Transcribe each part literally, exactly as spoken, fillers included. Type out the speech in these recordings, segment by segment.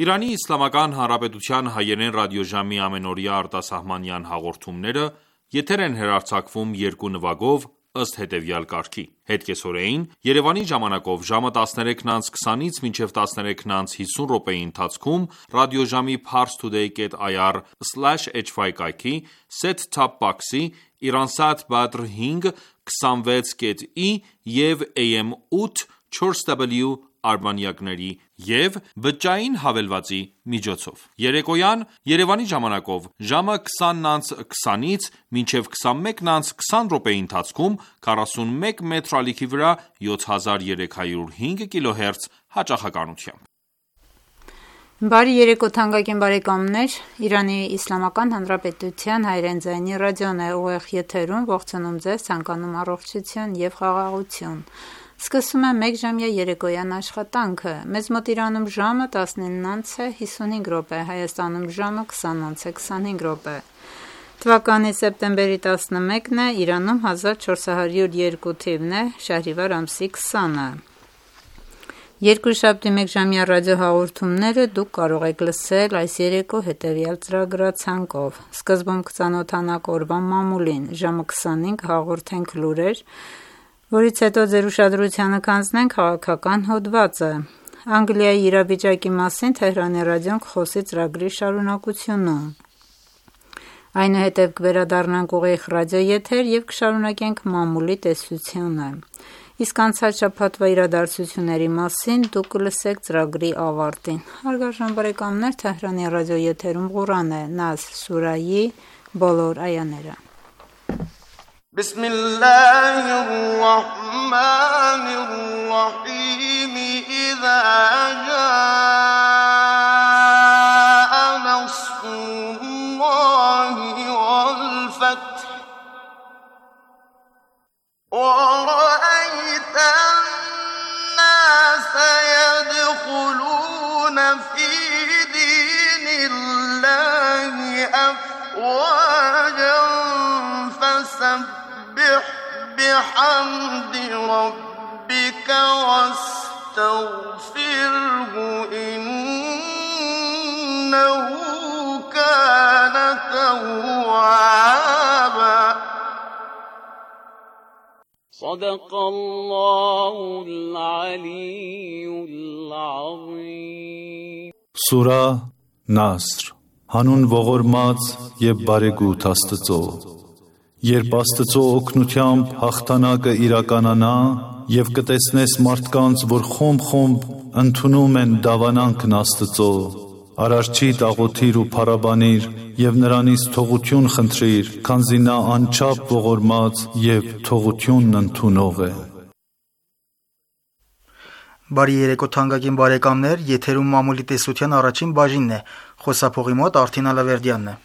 Իրանի Իսլամական Հանրապետության հայերեն ռադիոժամի ամենօրյա արտասահմանյան հաղորդումները եթեր են հեռարձակվում երկու նվագով ըստ հետևյալ կարգի: Հետկեսօրեին Երևանի ժամանակով ժամը տասներեքն անց քսանից մինչև տասներեքն անց հիսուն րոպեի ընթացքում ռադիոժամի parstoday dot i r slash h y կայքի set-top box-ի Iransat Badr հինգ քսանվեց կետ ի և A M ութ չորս W արբանյակների և բջջային հավելվածի միջոցով: Երեկոյան Երևանի ժամանակով ժամը քսանն անց քսանից մինչև քսանմեկն անց քսան րոպեի ընթացքում քառասունմեկ մետր ալիքի վրա յոթ հազար երեք հարյուր հինգ կիլոհերց հաճախականությամբ: Բարի երեկո թանկագին բարեկամներ, Իրանի Իսլամական Հանրապետության հայերեն ձայնի ռադիոն է ուղիղ եթերում ողջունում ձեզ, ցանկանում առողջություն և խաղաղություն: Սկսում եմ մեկժամյա երեկոյան աշխատանքը: Մեզ մոտ Իրանում ժամը տասնինն անց է հիսունհինգ րոպե, Հայաստանում ժամը քսանն անց է քսանհինգ րոպե: Թվականի սեպտեմբերի տասնմեկն է, Իրանում հազար չորս հարյուր երկու թիվն է, շահրիվար ամսի քսանը: Երկուշաբթի մեկժամյա ռադիոհաղորդումները դուք կարող եք լսել այս երեկո հետևյալ ծրագրացանկով: Սկզբում կծանոթանանք օրվա մամուլին, ժամը քսանին կհաղորդենք լուրեր, որից հետո ձեր ուշադրությանը կանցնենք քաղաքական հոդվածը: Անգլիայի իրավիճակի մասին Թեհրանի ռադիոն կխոսի ծրագրի շարունակությունում: Այնուհետև կվերադառնանք ուղիղ ռադիոեթեր և կշարունակենք մամուլի տեսությունը: Իսկ անցած շաբաթվա իրադարձությունների մասին դուք կլսեք ծրագրի ավարտին: Հարգարժան բարեկամներ, Թեհրանի ռադիոեթերում Ղուրան է, Նասր սուրայի բոլոր այաները: Բիսմիլլահի ռահմանի ռահիմ Իզա ջա'a նասրուլլահի վալ-ֆաթհ وَرَأَيْتَ النَّاسَ يَدْخُلُونَ فِي دِينِ اللَّهِ أَفْوَاجًا فَسَبِّحْ بِحَمْدِ رَبِّكَ وَاسْتَغْفِرْهُ إِنَّهُ كَانَ تَوَّابًا صدق الله العلي العظيم Սուրա Նասր Հանուն ողորմած և բարեգութ Աստծո: Երբ Աստծո օգնությամբ հաղթանակը իրականանա և կտեսնես մարդկանց, որ խումբ-խումբ ընդունում են դավանանքն Աստծո, Արարչիդ աղոթիր ու փառաբանիր և նրանից թողություն խնդրիր, քանզի նա անչափ ողորմած և թողությունն ընդունող է: Բարի երեկո թանկագին բարեկամներ, եթերում մամուլի տեսության առաջին բաժինն է, խոսափողի մոտ Արթին Ալավերդյանն է: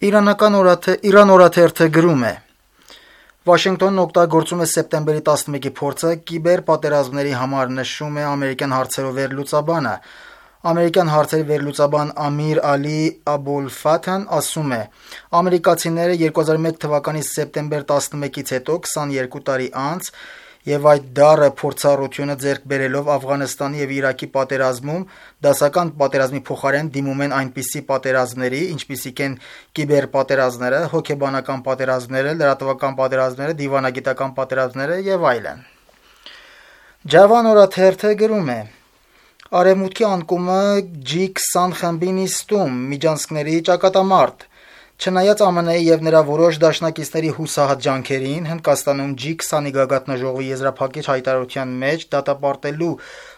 Իրան օրաթերթը գրում է. Վաշինգտոնն օգտագործում է սեպտեմբերի տասնմեկի փորձը կիբեր պատերազմների համար, նշում է ամերիկյան հարցերով վերլուծաբանը: Ամերիկյան հարցերի վերլուծաբան Ամիր Ալի Աբոլֆաթհն ասում է. ամերիկացիները երկու հազար մեկ թվականի սեպտեմբեր տասնմեկից հետո քսաներկու տարի անց և այդ դառը փորձառությունը ձեռք բերելով Աֆղանստանի և Իրաքի պատերազմում, դասական պատերազմի փոխարեն դիմում են այնպիսի պատերազմների, ինչպիսիք են կիբերպատերազմները, հոգեբանական պատերազմները, լրատվական պատերազմները, դիվանագիտական պատերազմները և այլն: Ջավան օրաթերթը գրում է. Արևմուտքի անկումը ջի քսան խմբի նիստում, միջանցքների ճակատամարտ: Չնայած ԱՄՆ-ի և նրա որոշ դաշնակիցների հուսահատ ջանքերին, Հնդկաստանում ջի քսանի գագաթնաժողովի եզրափակիչ հայտարարության մեջ դատապարտելու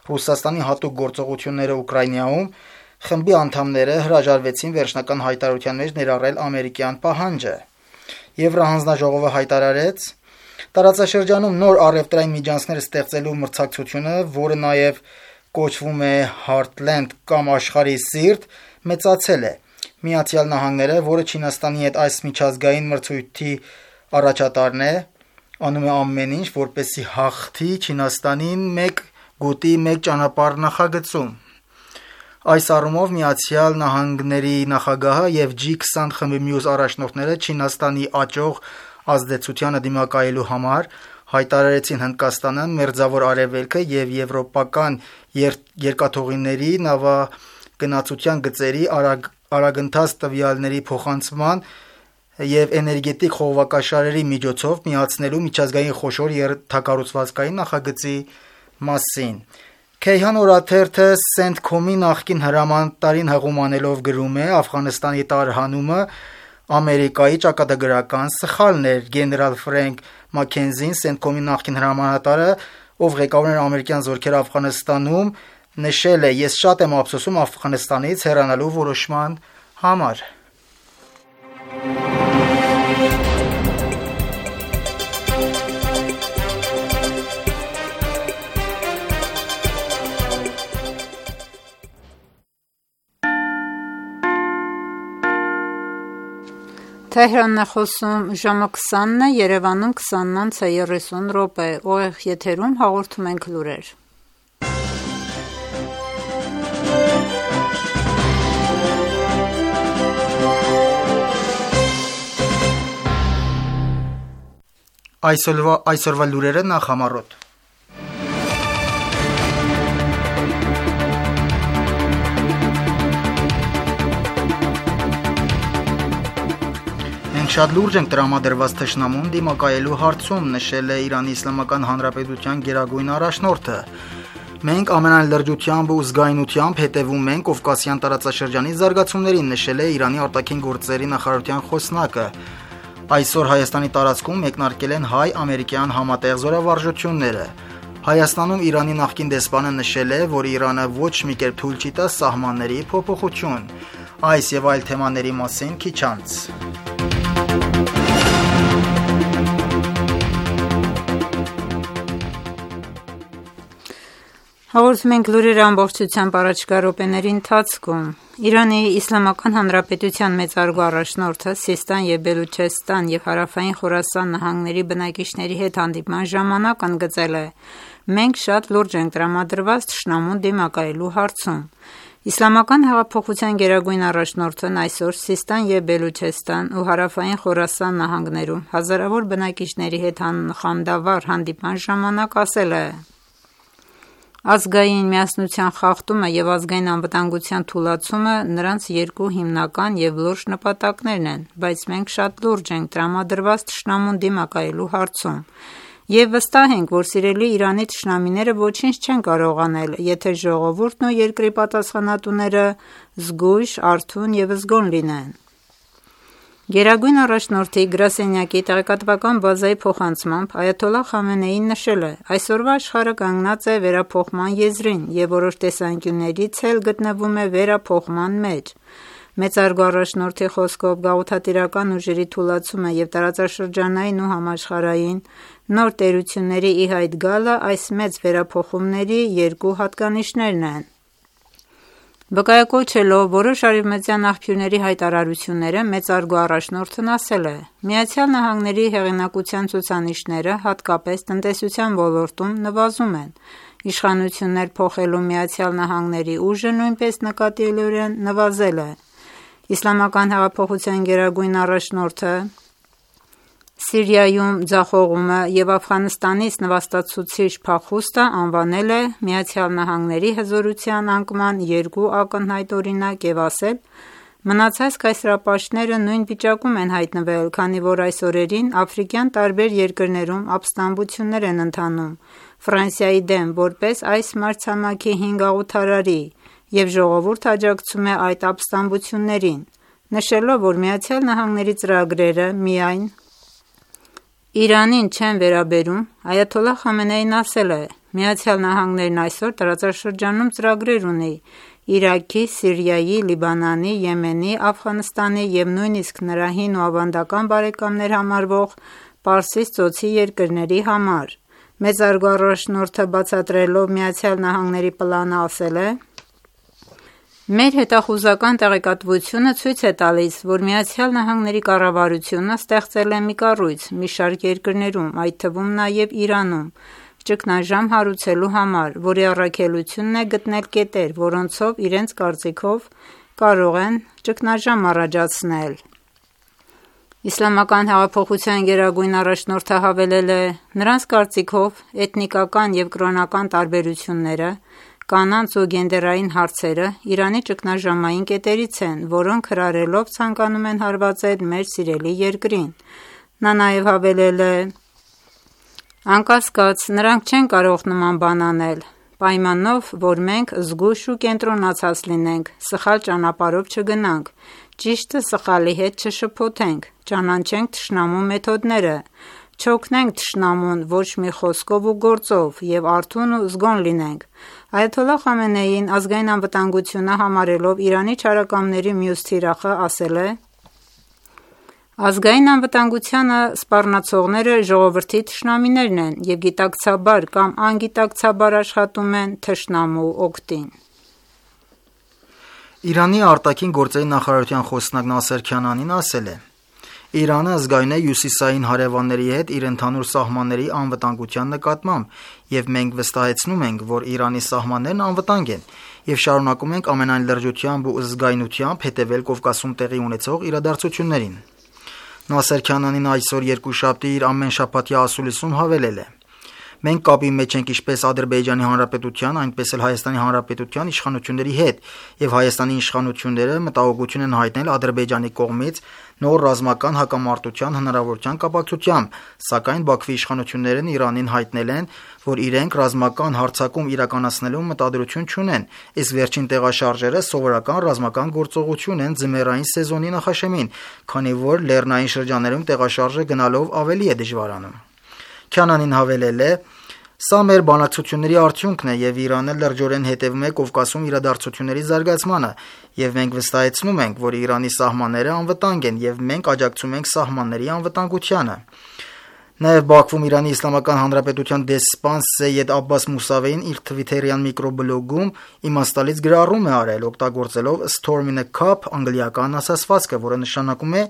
Ռուսաստանի հատուկ գործողությունները Ուկրաինայում, խմբի անդամները հրաժարվեցին վերջնական հայտարարության մեջ ներառել ամերիկյան պահանջը: Եվրահանձնաժողովը հայտարարեց. տարածաշրջանում նոր առևտրային միջանցքներ ստեղծելու մրցակցությունը, որը նաև կոչվում է Heartland կամ աշխարհի սիրտ, մեծացել է: Միացյալ Նահանգները, որը Չինաստանի հետ այս միջազգային մրցույթի առաջատարն է, անում է ամեն ինչ, որպեսզի հաղթի Չինաստանին մեկ գոտի մեկ ճանապարհ նախագծում: Այս առումով Միացյալ Նահանգների նախագահը եւ ջի քսան խմբի մյուս առաջնորդները Չինաստանի աճող ազդեցությանը դիմակայելու համար հայտարարեցին Հնդկաստանը, Մերձավոր Արևելքը եւ եվրոպական երկաթուղիների նավագնացության գծերի արագ, արագընթաց տվյալների փոխանցման եւ էներգետիկ խողովակաշարերի միջոցով միացնելու միջազգային խոշոր ենթակառուցվածքային նախագծի մասին։ Քեյհան օրաթերթը Սենթքոմի նախկին հրամանատարին հղումանելով գրում է. Աֆղանստանի տարհանումը Ամերիկայի ճակատագրական սխալն էր։ Գեներալ Ֆրենք Մաքենզին, Սենթքոմի նախկին հրամանատարը, ով ղեկավարում էր ամերիկյան զորքերը Աֆղանստանում, նշել է. «Ես շատ եմ ափսոսում Աֆղանստանից հեռանալու որոշման համար»։ Թեհրանն է խոսում ժամը քսանն է, Երևանում քսանն անց է երեսուն րոպե, ուղիղ եթերում հաղորդում ենք լուրեր։ Այսօրվա, այսօրվա լուրերը նախամարոտ։ Շատ լուրջ ենք տրամադրված թշնամուն դիմակայելու հարցում, նշել է Իրանի Իսլամական Հանրապետության գերագույն առաջնորդը։ Մենք ամենայն լրջությամբ ու զգայունությամբ հետևում ենք Կովկասյան տարածաշրջանի զարգացումներին, նշել է Իրանի արտաքին գործերի նախարարության խոսնակը։ Այսօր Հայաստանի տարածքում մեկնարկել են հայ-ամերիկյան համատեղ զորավարժությունները։ Հայաստանում Իրանի նախկին դեսպանը նշել է, որ Իրանը ոչ մի կերպ թույլ չի տա սահմանների փոփոխություն։ Այս եւ այլ թեմաների մասին քիչ անց։ Հաղորդում ենք լուրերը ամբողջությամբ առաջիկա րոպեների ընթացքում։ Իրանի Իսլամական Հանրապետության մեծարգո առաջնորդը Սիստան եւ Բելուչեստան եւ Հարավային Խորասան նահանգների բնակիչների հետ հանդիպման ժամանակ ընդգծել է. «Մենք շատ լուրջ ենք տրամադրված թշնամուն դիմակայելու հարցում»։ Իսլամական հեղափոխության գերագույն առաջնորդն այսօր Սիստան եւ Բելուչեստան ու Հարավային Խորասան նահանգներում հազարավոր բնակիչների հետ խանդավառ հանդիպման ժամանակ ասել է. «Ազգային միասնության խախտումը եւ ազգային անվտանգության թուլացումը նրանց երկու հիմնական եւ լուրջ նպատակներն են, բայց մենք շատ լուրջ ենք տրամադրված թշնամուն դիմակայելու հարցում եւ վստահ ենք, որ սիրելի Իրանի թշնամիները ոչինչ չեն կարող անել, եթե ժողովուրդն ու երկրի պատասխանատուները զգույշ, արթուն եւ զգոն լինեն»։ Գերագույն առաջնորդի գրասենյակի տեղեկատվական բազայի փոխանցմամբ Այաթոլլահ Խամենեին նշել է. «Այսօրվա աշխարհը կանգնած է վերափոխման եզրին եւ որոշ տեսանկյուններից էլ գտնվում է վերափոխման մեջ»։ Մեծարգո առաջնորդի խոսքով գաղութատիրական ուժերի թուլացումը եւ տարածաշրջանային ու համաշխարհային նոր տերությունների ի հայտ գալը այս մեծ վերափոխումների երկու հատկանիշներն են։ Վկայակոչելով որոշ արևմտյան աղբյուրների հայտարարությունները, մեծարգո առաջնորդն ասել է. «Միացյալ Նահանգների հեղինակության ցուցանիշները, հատկապես տնտեսության ոլորտում, նվազում են։ Իշխանություններ փոխելու Միացյալ Նահանգների ուժը նույնպես նկատելիորեն նվազել է»։ Իսլամական հեղափոխության գերագույն առաջնորդը Սիրիայում ձախողումը եւ Աֆղանստանից նվաստացուցիչ փախուստը անվանել է Միացյալ Նահանգների հզորության անկման երկու ակնհայտ օրինակ եւ ասել. «Մնացած կայսրապաշտները նույն վիճակում են հայտնվել, քանի որ այս օրերին աֆրիկյան տարբեր երկրներում ապստամբություններ են ընթանում Ֆրանսիայի դեմ որպես այս մայրցամաքի հինգաղութարարի, եւ ժողովուրդը աջակցում է այդ ապստամբություններին»։ Նշելով, որ Միացյալ Նահանգների ծրագրերը միայն Իրանին չեն վերաբերում, Այաթոլլահ Խամենեին ասել է. «Միացյալ Նահանգներն այսօր տարածաշրջանում ծրագրեր ունի Իրաքի, Սիրիայի, Լիբանանի, Եմենի, Աֆղանստանի եւ նույնիսկ նրա հին ու ավանդական բարեկամներ համարվող Պարսից ծոցի երկրների համար»։ Մեծարգո առաջնորդը բացատրելով Միացյալ Նահանգների պլանը ասել է. «Մեր հետախուզական տեղեկատվությունը ցույց է տալիս, որ Միացյալ Նահանգների կառավարությունը ստեղծել է մի կառույց մի շարք երկրներում, այդ թվում նաև Իրանում, ճգնաժամ հարուցելու համար, որի առաքելությունն է գտնել կետեր, որոնցով իրենց կարծիքով կարող են ճգնաժամ առաջացնել։ Իսլամական հեղափոխության գերագույն առաջնորդը հավելել է. «Նրանց կարծիքով էթնիկական և կրոնական տարբերությունները, կանանց ու գենդերային հարցերը Իրանի ճգնաժամային կետերից են, որոնք հրահրելով ցանկանում են հարվածել մեր սիրելի երկրին»։ Նա նաև հավելել է. «Անկասկած, նրանք չեն կարող նման բան անել, պայմանով, որ մենք զգույշ ու կենտրոնացած լինենք, սխալ ճանապարհով չգնանք, ճիշտը սխալի հետ չշփոթենք, ճանաչենք թշնամու մեթոդները, չօգնենք թշնամուն ոչ մի խոսքով ու գործով և արթուն ու զգոն լինենք»։ Այաթոլլահ Խամենեին ազգային անվտանգությունը համարելով Իրանի չարակամների մյուս թիրախը ասել է. «Ազգային անվտանգությանը սպառնացողները ժողովրդի թշնամիներն են և գիտակցաբար կամ անգիտակցաբար աշխատում են թշնամու օգտին»։ Իրանի արտաքին գործերի նախարարության խոսնակ Նասեր Քանանին ասել է. «Իրանը զգայուն է հյուսիսային հարևանների հետ իր ընդհանուր սահմանների անվտանգության նկատմամբ, և մենք վստահեցնում ենք, որ Իրանի սահմաններն անվտանգ են, և շարունակում ենք ամենայն լրջությամբ ու զգայունությամբ հետևել Կովկասում տեղի ունեցող իրադարձություններին»։ Նասեր Քանանին այսօր երկուշաբթի իր ամենշաբաթյա ասուլիսում հավելել է. «Մենք կապի մեջ ենք ինչպես Ադրբեջանի Հանրապետության, այնպես էլ Հայաստանի Հանրապետության իշխանությունների հետ, և Հայաստանի իշխանությունները մտահոգություն են հայտնել Ադրբեջանի կողմից նոր ռազմական հակամարտության հնարավորության կապակցությամբ, սակայն Բաքվի իշխանություններն Իրանին հայտնել են, որ իրենք ռազմական հարձակում իրականացնելու մտադրություն չունեն, իսկ վերջին տեղաշարժերը սովորական ռազմական գործողություն են ձմեռային սեզոնի նախաշեմին, քանի որ լեռնային շրջաններում տեղաշարժը գնալով ավելի է դժվարանում»։ Քանանին հավելել է. «Սա մեր բանակցությունների արդյունքն է, և Իրանը լրջորեն հետևում է Կովկասում իրադարձությունների զարգացմանը, և մենք վստահեցնում ենք, որ Իրանի սահմանները անվտանգ են, և մենք աջակցում ենք սահմանների անվտանգությանը»։ Նաև Բաքվում Իրանի Իսլամական Հանրապետության դեսպան Սեյեդ Աբբաս Մուսավեին իր թվիթերյան միկրոբլոգում իմաստալից գրառում է արել, օգտագործելով «storm in a cup» անգլիական ասացվածքը, որը նշանակում է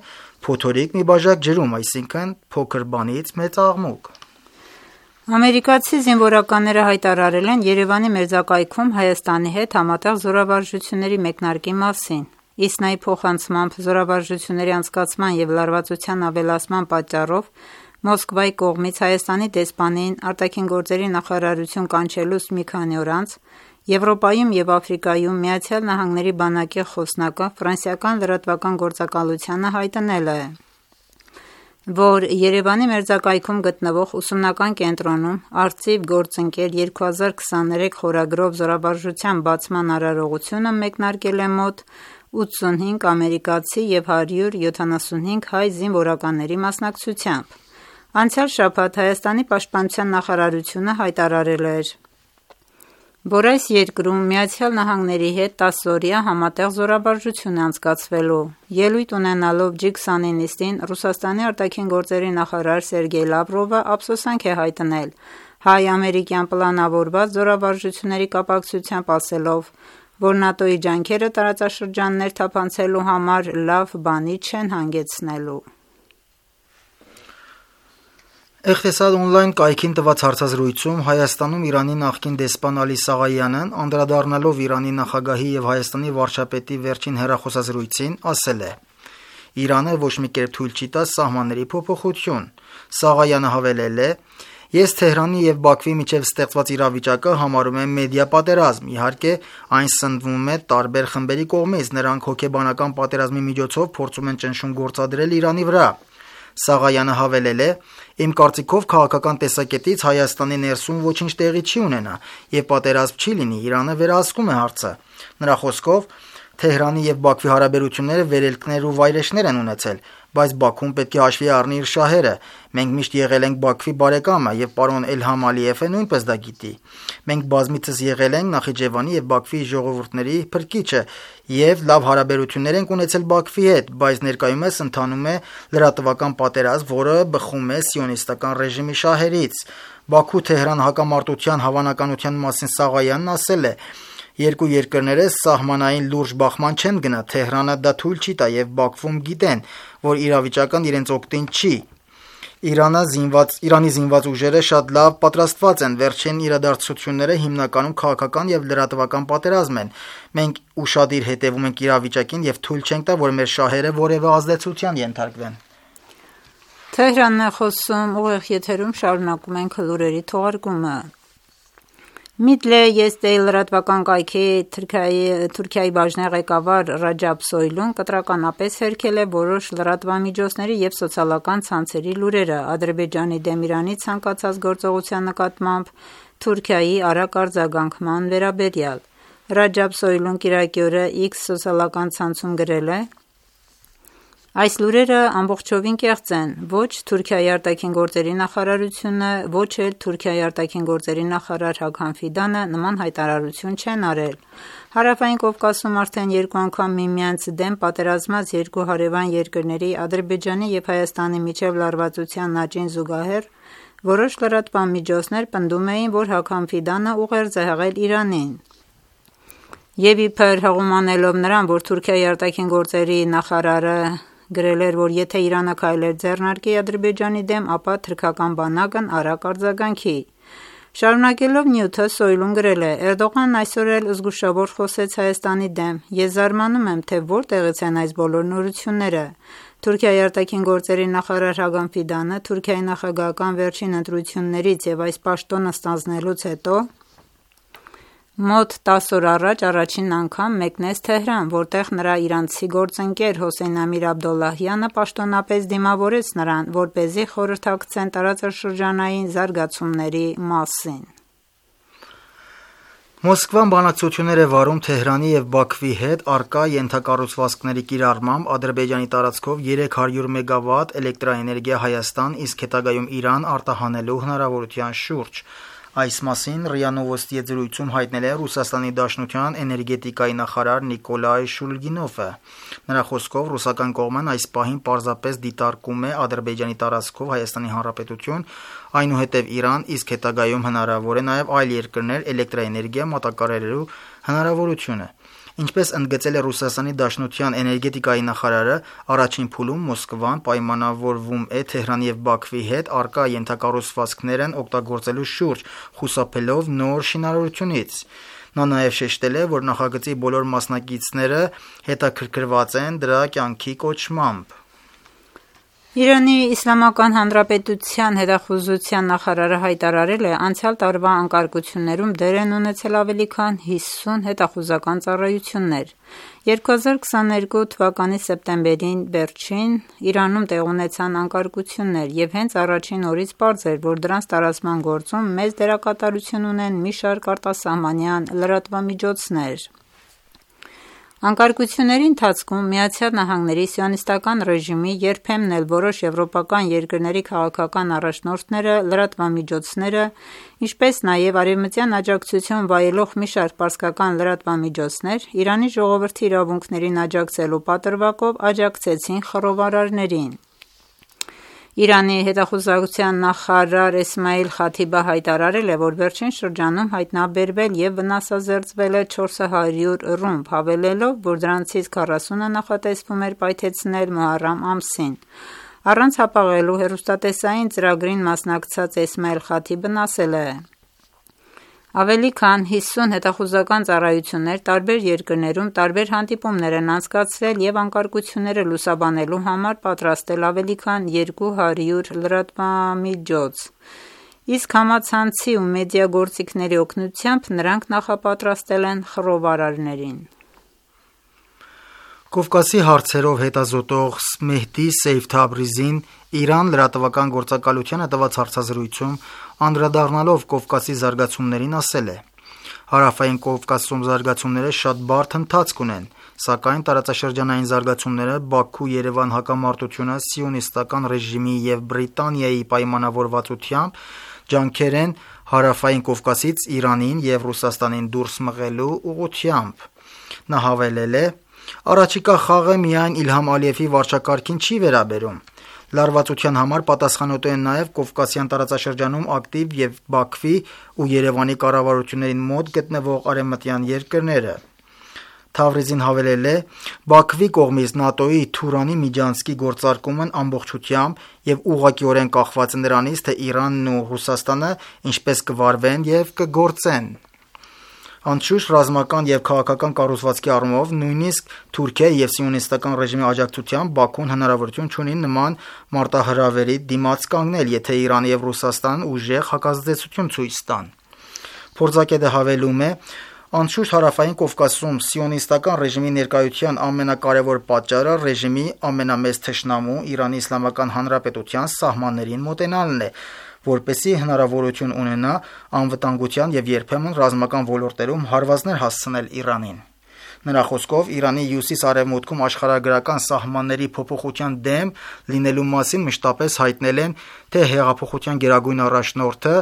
«փոթորիկ մի բաժակ ջրում», այսինքն փոքր բանից մեծ աղմուկ։ Ամերիկացի զինվորականները հայտարարել են Երևանի մերձակայքում Հայաստանի հետ համատեղ զորավարժությունների մեկնարկի մասին։ ԻՍՆԱ-ի փոխանցմամբ զորավարժությունների անցկացման և լարվածության ավելացման պատճառով Մոսկվայի կողմից Հայաստանի դեսպանին արտաքին գործերի նախարարություն կանչելուց մի քանի օր անց Եվրոպայում և Աֆրիկայում Միացյալ Նահանգների բանակի խոսնակը ֆրանսիական լրատվական գործակալությանը հայտնել է, որ Երևանի մերձակայքում գտնվող ուսումնական կենտրոնում «Արծիվ գործընկեր երկու հազար քսաներեք» խորագրով զորավարժության բացման արարողությունը մեկնարկել է մոտ ութսունհինգ ամերիկացի և հարյուր յոթանասունհինգ հայ զինվորականների մասնակցությամբ։ Անցյալ շաբաթ Հայաստանի պաշտպանության նախարարությունը հայտարարել էր, որ այս երկրում Միացյալ Նահանգների հետ տասօրյա համատեղ զորավարժություն է անցկացվելու։ Ելույթ ունենալով ջի քսանի նիստին Ռուսաստանի արտաքին գործերի նախարար Սերգեյ Լավրովը ափսոսանք է հայտնել հայ-ամերիկյան պլանավորված զորավարժությունների կապակցությամբ, ասելով, որ ՆԱՏՕ-ի ջանքերը տարածաշրջաններ թափանցելու համար լավ բանի չեն հանգեցնելու։ Էխտեսադ օնլայն կայքին տված հարցազրույցում Հայաստանում Իրանի նախկին դեսպան Ալի Սաղայանն, անդրադառնալով Իրանի նախագահի և Հայաստանի վարչապետի վերջին հեռախոսազրույցին, ասել է. «Իրանը ոչ մի կերպ թույլ չի տա սահմանների փոփոխություն»։ Սաղայանը հավելել է. «Ես Թեհրանի և Բաքվի միջև ստեղծված իրավիճակը համարում եմ մեդիա պատերազմ, իհարկե այն սնվում է տարբեր խմբերի կողմից, նրանք հոգեբանական պատերազմի միջոցով փորձում են ճնշում գործադրել Իրանի վրա»։ Սաղայանը հավելել է. «Իմ կարծիքով քաղաքական տեսակետից Հայաստանի ներսում ոչինչ տեղի չի ունենա, և պատերազմ չի լինի, Իրանը վերահսկում է հարցը»։ Նրա խոսքով Թեհրանի և Բաքվի հարաբերությունները վերելքներ ու վայրէջքներ են ունեցել, բայց Բաքուն պետք է հաշվի առնի իր շահերը։ Մենք միշտ եղել ենք Բաքվի բարեկամը, և պարոն Էլհամ Ալիևը նույնպես դա գիտի։ Մենք բազմիցս եղել ենք Նախիջևանի և Բաքվի ժողովուրդների փրկիչը և լավ հարաբերություններ ենք ունեցել Բաքվի հետ, բայց ներկայումս ընթանում է լրատվական պատերազմ, որը բխում է սիոնիստական ռեժիմի շահերից։ Բաքու-Թեհրան հակամարտության հավանականության մասին Սաղայանն ասել է. «Երկու երկրները սահմանային լուրջ բախման չեն գնա, Թեհրանը դա թույլ չի տա, և Բաքվում գիտեն, որ իրավիճակն իրենց օգտին չի»։ Իրանը զինված Իրանի զինված ուժերը շատ լավ պատրաստված են, վերջին իրադարձությունները հիմնականում քաղաքական եւ լրատվական պատերազմ են։ Մենք ուշադիր հետևում ենք իրավիճակին եւ թույլ չենք տա, որ մեր շահերը որևէ ազդեցության ենթարկվեն։ Թեհրանն է խոսում, ուղիղ եթերում շարունակում ենք լուրերի թողարկումը։ Միդլե Եսդեյ լրատվական կայքի Թուրքիայի բաժնի ղեկավար Ռաջաբ Սոյլուն կտրականապես հերքել է որոշ լրատվամիջոցների եւ սոցիալական ցանցերի լուրերը Ադրբեջանի դեմ Իրանի ցանկացած գործողության նկատմամբ Թուրքիայի արագ արձագանքման վերաբերյալ։ Ռաջաբ Սոյլուն կիրակի օրը X սոցիալական ցանցում գրել է. Այս լուրերը ամբողջովին կեղծ են, ոչ Թուրքիայի արտաքին գործերի նախարարությունը, ոչ էլ Թուրքիայի արտաքին գործերի նախարար Հաքան Ֆիդանը նման հայտարարություն չեն արել։ Հարավային Կովկասում արդեն երկու անգամ միմյանց դեմ պատերազմած երկու հարևան երկրների Ադրբեջանի եւ Հայաստանի միջև լարվածության աճին զուգահեռ որոշ լրատվամիջոցներ պնդում էին, որ Հաքան Ֆիդանը ուղերձ է հղել Իրանին։ Եվ իբր հղումանելով նրան, որ Թուրքիայի արտաքին գործերի նախարարը գրել էր, որ եթե Իրանը քայլեր ձեռնարկի Ադրբեջանի դեմ, ապա թուրքական բանակն արագ արձագանքի։ Շարունակելով նյութը Սոյլուն գրել է. Էրդողանն այսօր էլ զգուշավոր խոսեց Հայաստանի դեմ։ Ես զարմանում եմ, թե որտեղից են այս բոլոր նորությունները։ Թուրքիայի արտաքին գործերի նախարար Հագան Ֆիդանը Թուրքիայի նախագահական վերջին ընտրություններից եւ այս պաշտոնը ստանձնելուց հետո մոտ տասը օր առաջ առաջին անգամ մեկնեց Թեհրան, որտեղ նրա իրանցի գործընկեր Հոսեյն Ամիր Աբդոլլահյանը պաշտոնապես դիմավորեց նրան, որպեսզի խորհրդակցեն տարածաշրջանային զարգացումների մասին։ Մոսկվան բանակցություններ է վարում Թեհրանի եւ Բաքվի հետ առկա ենթակառուցվածքների կիրառմամբ Ադրբեջանի տարածքով երեք հարյուր մեգավատ էլեկտրաէներգիա Հայաստան, իսկ հետագայում Իրան արտահանելու հնարավորության շուրջ։ Այս մասին ՌԻԱ Նովոստիի զրույցում հայտնել է Ռուսաստանի Դաշնության էներգետիկայի նախարար Նիկոլայ Շուլգինովը։ Նրա խոսքով ռուսական կողմն այս պահին պարզապես դիտարկում է Ադրբեջանի տարածքով Հայաստանի Հանրապետություն, այնուհետև Իրան, իսկ հետագայում հնարավոր է նաև այլ երկրներ էլեկտրաէներգիա մատակարարելու հնարավորությունը։ Ինչպես ընդգծել է Ռուսաստանի Դաշնության էներգետիկայի նախարարը, առաջին փուլում Մոսկվան պայմանավորվում է Թեհրանի եւ Բաքվի հետ առկա ենթակառուցվածքներն օգտագործելու շուրջ, խուսափելով նոր շինարարությունից։ Նա նաև շեշտել է, որ նախագծի բոլոր մասնակիցները հետաքրքրված են դրա կյանքի կոչմամբ։ Իրանի Իսլամական Հանրապետության հետախուզության նախարարը հայտարարել է անցյալ տարվա անկարգություններում դեր են ունեցել ավելի քան հիսուն հետախուզական ծառայություններ։ երկու հազար քսաներկու թվականի սեպտեմբերին վերջին Իրանում տեղ ունեցան անկարգություններ եւ հենց առաջին օրից պարզ էր, որ դրանց տարածման գործում մեծ դերակատարություն ունեն մի շարք արտասահմանյան լրատվամիջոցներ։ Անկարգությունների ընթացքում Միացյալ Նահանգների սիոնիստական ռեժիմի, երբեմն էլ որոշ եվրոպական երկրների քաղաքական առաջնորդները, լրատվամիջոցները, ինչպես նաև արևմտյան աջակցություն վայելող մի շարք պարսկական լրատվամիջոցներ Իրանի ժողովրդի իրավունքներին աջակցելու պատրվակով աջակցեցին խռովարարներին։ Իրանի հետախուզության նախարար Էսմայիլ Խաթիբը հայտարարել է, որ վերջին շրջանում հայտնաբերվել եւ վնասազերծվել է չորս հարյուր ռումբ, հավելելով, որ դրանցից քառասունը նախատեսվում էր պայթեցնել Մոհարրամ ամսին։ Առանց հապաղելու հեռուստատեսային ծրագրին մասնակցած Էսմայիլ Խաթիբն ասել է. Ավելի քան հիսուն հետախուզական ծառայություններ տարբեր երկրներում տարբեր հանդիպումներ են անցկացրել եւ անկարգությունները լուսաբանելու համար պատրաստել ավելի քան երկու հարյուր լրատվամիջոց, իսկ համացանցի ու մեդիա գործիքների օգնությամբ նրանք նախապատրաստել են խռովարարներին։ Կովկասի հարցերով հետազոտող Մեհդի Սեյֆ Թաբրիզին Իրան լրատվական գործակալությանը տված հարցազրույցում անդրադառնալով Կովկասի զարգացումներին ասել է. Հարավային Կովկասում զարգացումները շատ բարդ ընթացք ունեն, սակայն տարածաշրջանային զարգացումները Բաքու-Երևան հակամարտությունը սիոնիստական ռեժիմի եւ Բրիտանիայի պայմանավորվածությամբ ջանքեր են Հարավային Կովկասից Իրանին եւ Ռուսաստանին դուրս մղելու ուղղությամբ։ Նա հավելել է. Առաջիկա խաղը միայն Իլհամ Ալիևի վարչակարգին չի վերաբերում։ Լարվածության համար պատասխանատու են նաև Կովկասյան տարածաշրջանում ակտիվ եւ Բաքվի ու Երևանի կառավարություններին մոտ գտնվող արևմտյան երկրները։ Թավրիզին հավելել է. «Բաքվի կողմից ՆԱՏՕ-ի Թուրանի միջանցքի գործարկումն ամբողջությամբ եւ ուղղակիորեն կախված է նրանից, թե Իրանն ու Ռուսաստանը ինչպես կվարվեն եւ կգործեն»։ Անշուշտ ռազմական եւ քաղաքական կառուցվածքի առումով նույնիսկ Թուրքիայի եւ սիոնիստական ռեժիմի աջակցությամբ Բաքուն հնարավորություն չունի նման մարտահրավերի դիմաց կանգնել, եթե Իրանը եւ Ռուսաստանն ուժեղ հակազդեցություն ցույց տան։ Փորձագետը հավելում է. «Անշուշտ Հարավային Կովկասում սիոնիստական ռեժիմի ներկայության ամենակարևոր պատճառը ռեժիմի ամենամեծ թշնամու Իրանի Իսլամական Հանրապետության սահմաններին մոտենալն է, որպեսզի հնարավորություն ունենա անվտանգության եւ երբեմն ռազմական ոլորտերում հարվածներ հասցնել Իրանին»։ Նրա խոսքով Իրանի հյուսիս-արևմուտքում աշխարհագրական սահմանների փոփոխության դեմ լինելու մասին մշտապես հայտնել են թե հեղափոխության գերագույն առաջնորդը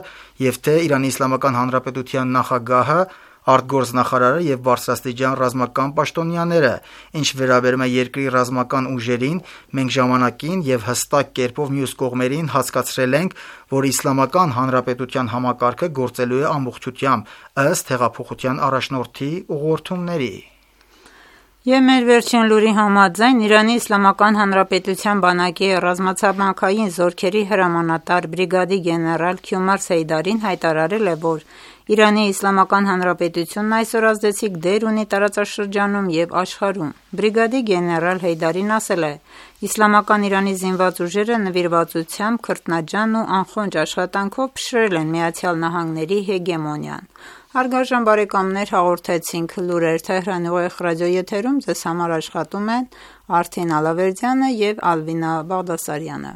եւ թե Իրանի Իսլամական Հանրապետության նախագահը, արտգործնախարարը եւ բարձրաստիճան ռազմական պաշտոնյաները։ Ինչ վերաբերում է երկրի ռազմական ուժերին, մենք ժամանակին եւ հստակ կերպով մյուս կողմերին հասկացրել ենք, որ Իսլամական Հանրապետության համակարգը գործելու է ամբողջությամբ ըստ հեղափոխության առաջնորդի ուղղորդումների։ Եվ մեր վերջին լուրի համաձայն Իրանի Իսլամական Հանրապետության բանակի ռազմացամաքային զորքերի հրամանատար բրիգադի գեներալ Քյումար Սեյդարին հայտարարել է, որ Իրանի Իսլամական Հանրապետությունն այսօր ազդեցիկ դեր ունի տարածաշրջանում եւ աշխարհում։ Բրիգադի գեներալ Հեյդարին ասել է. «Իսլամական Իրանի զինված ուժերը նվիրվածությամբ, քրտնաջան ու անխոնջ աշխատանքով փշրել են Միացյալ Նահանգների հեգեմոնիան»։ Հարգարժան բարեկամներ, հաղորդեցինք լուրեր Թեհրանի ուղիղ ռադիոեթերում, ձեզ համար աշխատում են Արթին Ալավերդյանը եւ Ալվինա Բաղդասարյանը։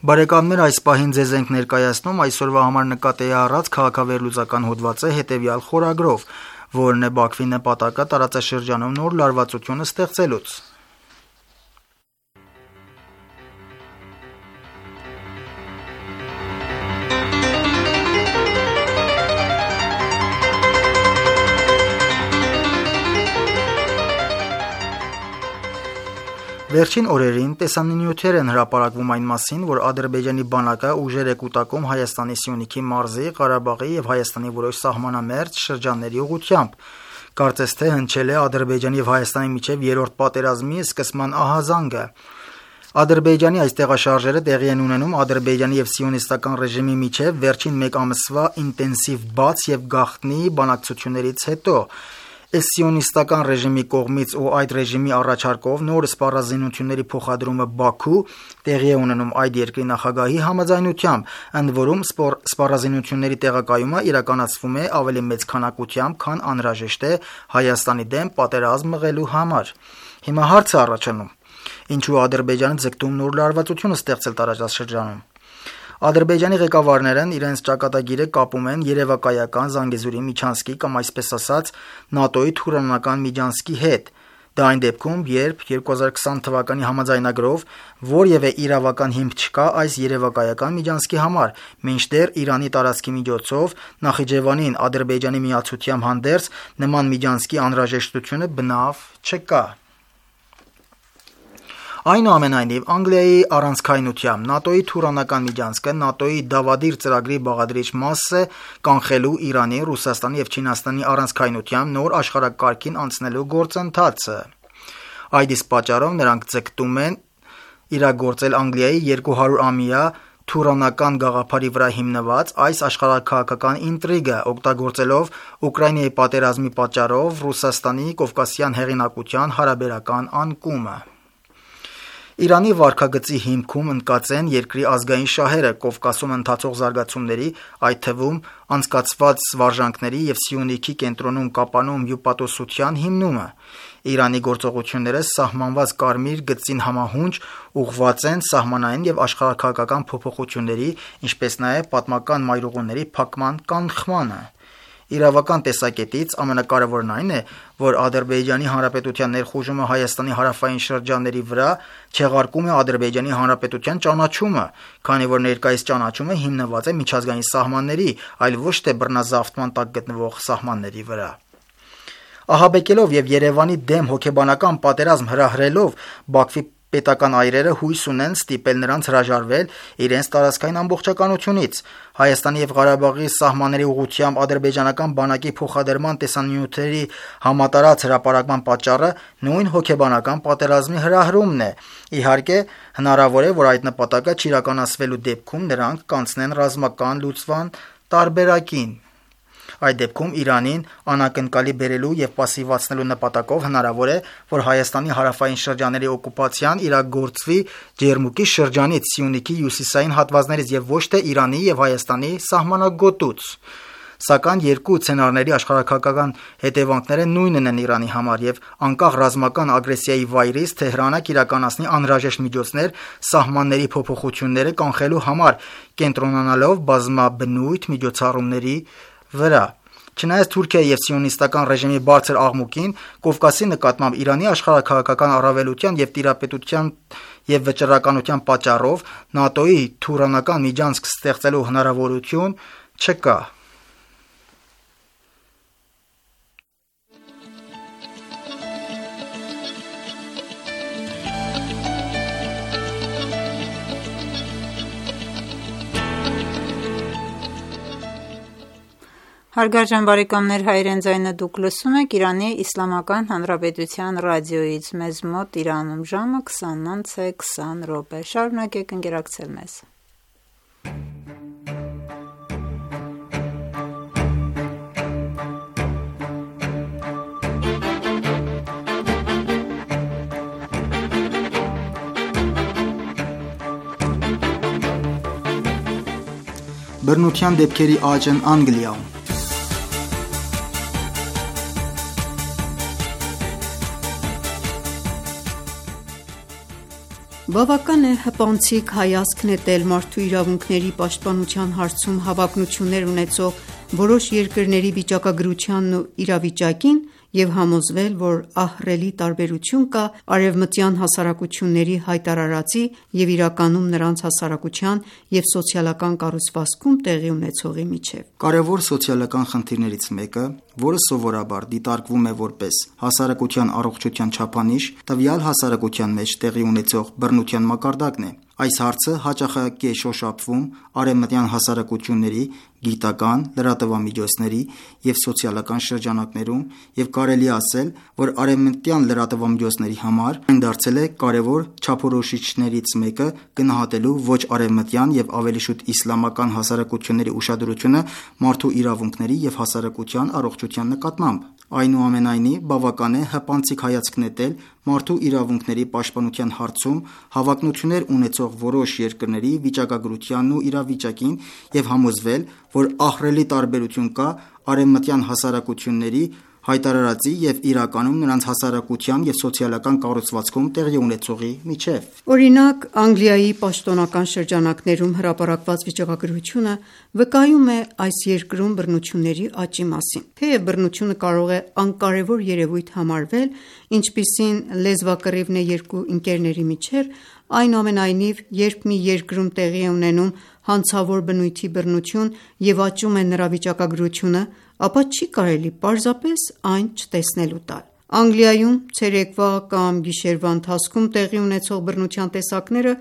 Բարեկամներ, այս պահին ձեզ ենք ներկայացնում այսօրվա համար նկատի առած քաղաքավերլուծական հոդվածը հետևյալ խորագրով, որն է Բաքվի նպատակը տարածաշրջանում նոր լարվածություն ստեղծելուց։ Վերջին օրերին տեսանյութեր են հրապարակվում այն մասին, որ Ադրբեջանի բանակը ուժեր է կուտակում Հայաստանի Սյունիքի մարզի, Ղարաբաղի եւ Հայաստանի որոշ սահմանամերձ շրջանների ուղղությամբ։ Կարծես թե հնչել է Ադրբեջանի եւ Հայաստանի միջև երրորդ պատերազմի սկսման ահազանգը։ Ադրբեջանի այս տեղաշարժերը տեղի են ունենում Ադրբեջանի եւ սիոնիստական ռեժիմի միջև վերջին մեկ ամսվա ինտենսիվ բաց եւ գաղտնի բանակցություններից հետո։ Սիոնիստական ռեժիմի կողմից ու այդ ռեժիմի առաջարկով նոր սպառազինությունների փոխադրումը Բաքու տեղի է ունենում այդ երկրի նախագահի համաձայնությամբ, ընդ որում սպառազինությունների տեղակայումը իրականացվում է ավելի մեծ քանակությամբ, քան անհրաժեշտ է Հայաստանի դեմ պատերազմ մղելու համար։ Հիմա հարց է առաջանում. ինչու Ադրբեջանը ձգտում նոր լարվածություն ստեղծել տարածաշրջանում։ Ադրբեջանի ղեկավարներն իրենց ճակատագիրը կապում են երևակայական Զանգեզուրի միջանցքի կամ այսպես ասած ՆԱՏՕ-ի Թուրանական միջանցքի հետ։ Դա այն դեպքում, երբ երկու հազար քսան թվականի համաձայնագրով որևէ իրավական հիմք չկա այս երևակայական միջանցքի համար, մինչդեռ Իրանի տարածքի միջոցով Նախիջևանին Ադրբեջանի միացությամբ հանդերձ նման միջանցքի անհրաժեշտությունը բնավ չկա։ Այնուամենայնիվ, Անգլիայի առանցքայնությամբ ՆԱՏՕ-ի Թուրանական միջանցքը ՆԱՏՕ-ի Դավադիր ծրագրի բաղադրիչ մաս է կանխելու Իրանի, Ռուսաստանի եւ Չինաստանի առանցքայնությամբ նոր աշխարհակարգին անցնելու գործընթացը։ Այդ իսկ պատճառով նրանք ձգտում են իրագործել Անգլիայի երկու հարյուր ամյա Թուրանական գաղափարի վրա հիմնված այս աշխարհաքաղաքական ինտրիգը, օգտագործելով Ուկրաինայի պատերազմի պատճառով Ռուսաստանի կովկասյան հեղինակության հարաբերական անկումը։ Իրանի վարքագծի հիմքում ընկած են երկրի ազգային շահերը, Կովկասում ընթացող զարգացումների, այդ թվում անցկացված վարժանքների եւ Սյունիքի կենտրոնում կապանում հյուպատոսության հիմնումը։ Իրանի գործողությունները սահմանված կարմիր գծին համահունչ ուղղված են սահմանային եւ աշխարհաքաղաքական փոփոխությունների, ինչպես նաեւ պատմական մայրուղիների փակման կանխմանը։ Իրավական տեսակետից ամենակարևորն այն է, որ Ադրբեջանի Հանրապետության ներխուժումը Հայաստանի հարավային շրջանների վրա չեղարկում է Ադրբեջանի Հանրապետության ճանաչումը, քանի որ ներկայիս ճանաչումը հիմնված է միջազգային սահմանների, այլ ոչ թե բռնազավթման տակ գտնվող սահմանների վրա։ Ահաբեկելով եւ Երևանի դեմ հոգեբանական պատերազմ հրահրելով Բաքվի պետական այրերը հույս ունեն ստիպել նրանց հրաժարվել իրենց տարածքային ամբողջականությունից։ Հայաստանի եւ Ղարաբաղի սահմանների ուղղությամբ ադրբեջանական բանակի փոխադրման տեսանյութերի համատարած հրապարակման պատճառը նույն հոգեբանական պատերազմի հրահրումն է։ Իհարկե, հնարավոր է, որ այդ նպատակը չիրականացվելու դեպքում նրանք կանցնեն ռազմական լուծման տարբերակին։ Այդ դեպքում Իրանին անակնկալի բերելու եւ պասիվացնելու նպատակով հնարավոր է, որ Հայաստանի հարավային շրջանների օկուպացիան իրագործվի Ջերմուկի շրջանից, Սյունիքի հյուսիսային հատվածներից եւ ոչ թե Իրանի եւ Հայաստանի սահմանագոտուց։ Սակայն երկու սցենարների աշխարհաքաղաքական հետևանքները նույնն են Իրանի համար եւ անկախ ռազմական ագրեսիայի վայրից Թեհրանը կիրականացնի անհրաժեշտ միջոցներ սահմանների փոփոխությունները կանխելու համար, կենտրոնանալով բազմաբնույթ միջոցառումների վրա։ Չնայած Թուրքիայի եւ սիոնիստական ռեժիմի բարձր աղմուկին, Կովկասի նկատմամբ Իրանի աշխարհաքաղաքական առավելության եւ տիրապետության եւ վճռականության պատճառով ՆԱՏՕ-ի թուրանական միջանցք ստեղծելու հնարավորություն չկա։ Հարգարժան բարեկամներ, հայրեն ձայնը դուք լսում եք Իրանի Իսլամական Հանրապետության ռադիոյից, մեզ մոտ Իրանում ժամը քսանինը քսան րոպե։ Շարունակեք ընկերակցել մեզ։ Բռնության դեպքերի աճն Անգլիայում։ Բավական է հպանցիկ հայացք նետել մարդու իրավունքների պաշտպանության հարցում հավակնություններ ունեցող որոշ երկրների վիճակագրությանն ու իրավիճակին և համոզվել, որ ահռելի տարբերություն կա արևմտյան հասարակությունների հայտարարածի և իրականում նրանց հասարակության և սոցիալական կառուցվածքում տեղի ունեցողի միջև։ Կարևոր սոցիալական խնդիրներից մեկը, որը սովորաբար դիտարկվում է որպես հասարակության առողջության չափանիշ, տվյալ հասարակության մեջ տեղի ունեցող բռնության մակարդակն է։ Այս հարցը հաճախակի է շոշափվում արևմտյան հասարակությունների, գիտական, լրատվամիջոցների և սոցիալական շրջանակներում և կարելի է ասել, որ արևմտյան լրատվամիջոցների համար այն դարձել է կարևոր չափորոշիչներից մեկը գնահատելու ոչ արևմտյան և ավելի շուտ իսլամական հասարակությունների ուշադրությունը մարդու իրավունքների և հասարակության առողջության նկատմամբ։ Այնուամենայնիվ, բավական է հպանցիկ հայացք նետել մարդու իրավունքների պաշտպանության հարցում հավակնություններ ունեցող որոշ երկրների վիճակագրությանն ու իրավիճակին և համոզվել, որ ահռելի տարբերություն կա արևմտյան հասարակությունների հայտարարածի և իրականում նրանց հասարակության և սոցիալական կառուցվածքում տեղի ունեցողի միջև։ Օրինակ, Անգլիայի պաշտոնական շրջանակներում հրապարակված վիճակագրությունը վկայում է այս երկրում բռնությունների աճի մասին։ Թեև բռնությունը կարող է անկարևոր երևույթ համարվել, ինչպիսին լեզվակռիվն է երկու ընկերների միջև, այնուամենայնիվ, երբ մի երկրում տեղի է ունենում հանցավոր բնույթի բռնություն և աճում է նրա վիճակագրությունը, ապա չի կարելի պարզապես այն չտեսնելու տալ։ Անգլիայում ցերեկվա կամ գիշերվա ընթացքում տեղի ունեցող բռնության տեսակները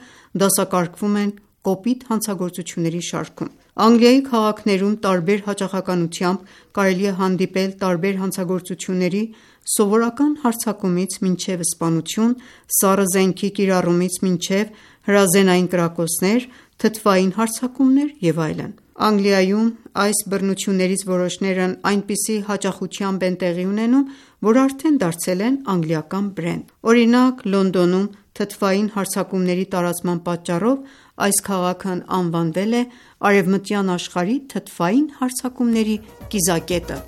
դասակարգվում են կոպիտ հանցագործությունների շարքում։ Անգլիայի քաղաքներում տարբեր հաճախականությամբ կարելի է հանդիպել տարբեր հանցագործությունների՝ սովորական հարձակումից մինչև սպանություն, սառը զենքի կիրառումից մինչև հրազենային կրակոցներ, թթվային հարձակումներ և այլն։ Անգլիայում այս բռնություններից որոշներն այնպիսի հաճախությամբ են տեղի ունենում, որ արդեն դարձել են անգլիական բրենդ։ Օրինակ, Լոնդոնում թթվային հարձակումների տարածման պատճառով այս քաղաքն անվանվել է արևմտյան աշխարհի թթվային հարձակումների կիզակետը։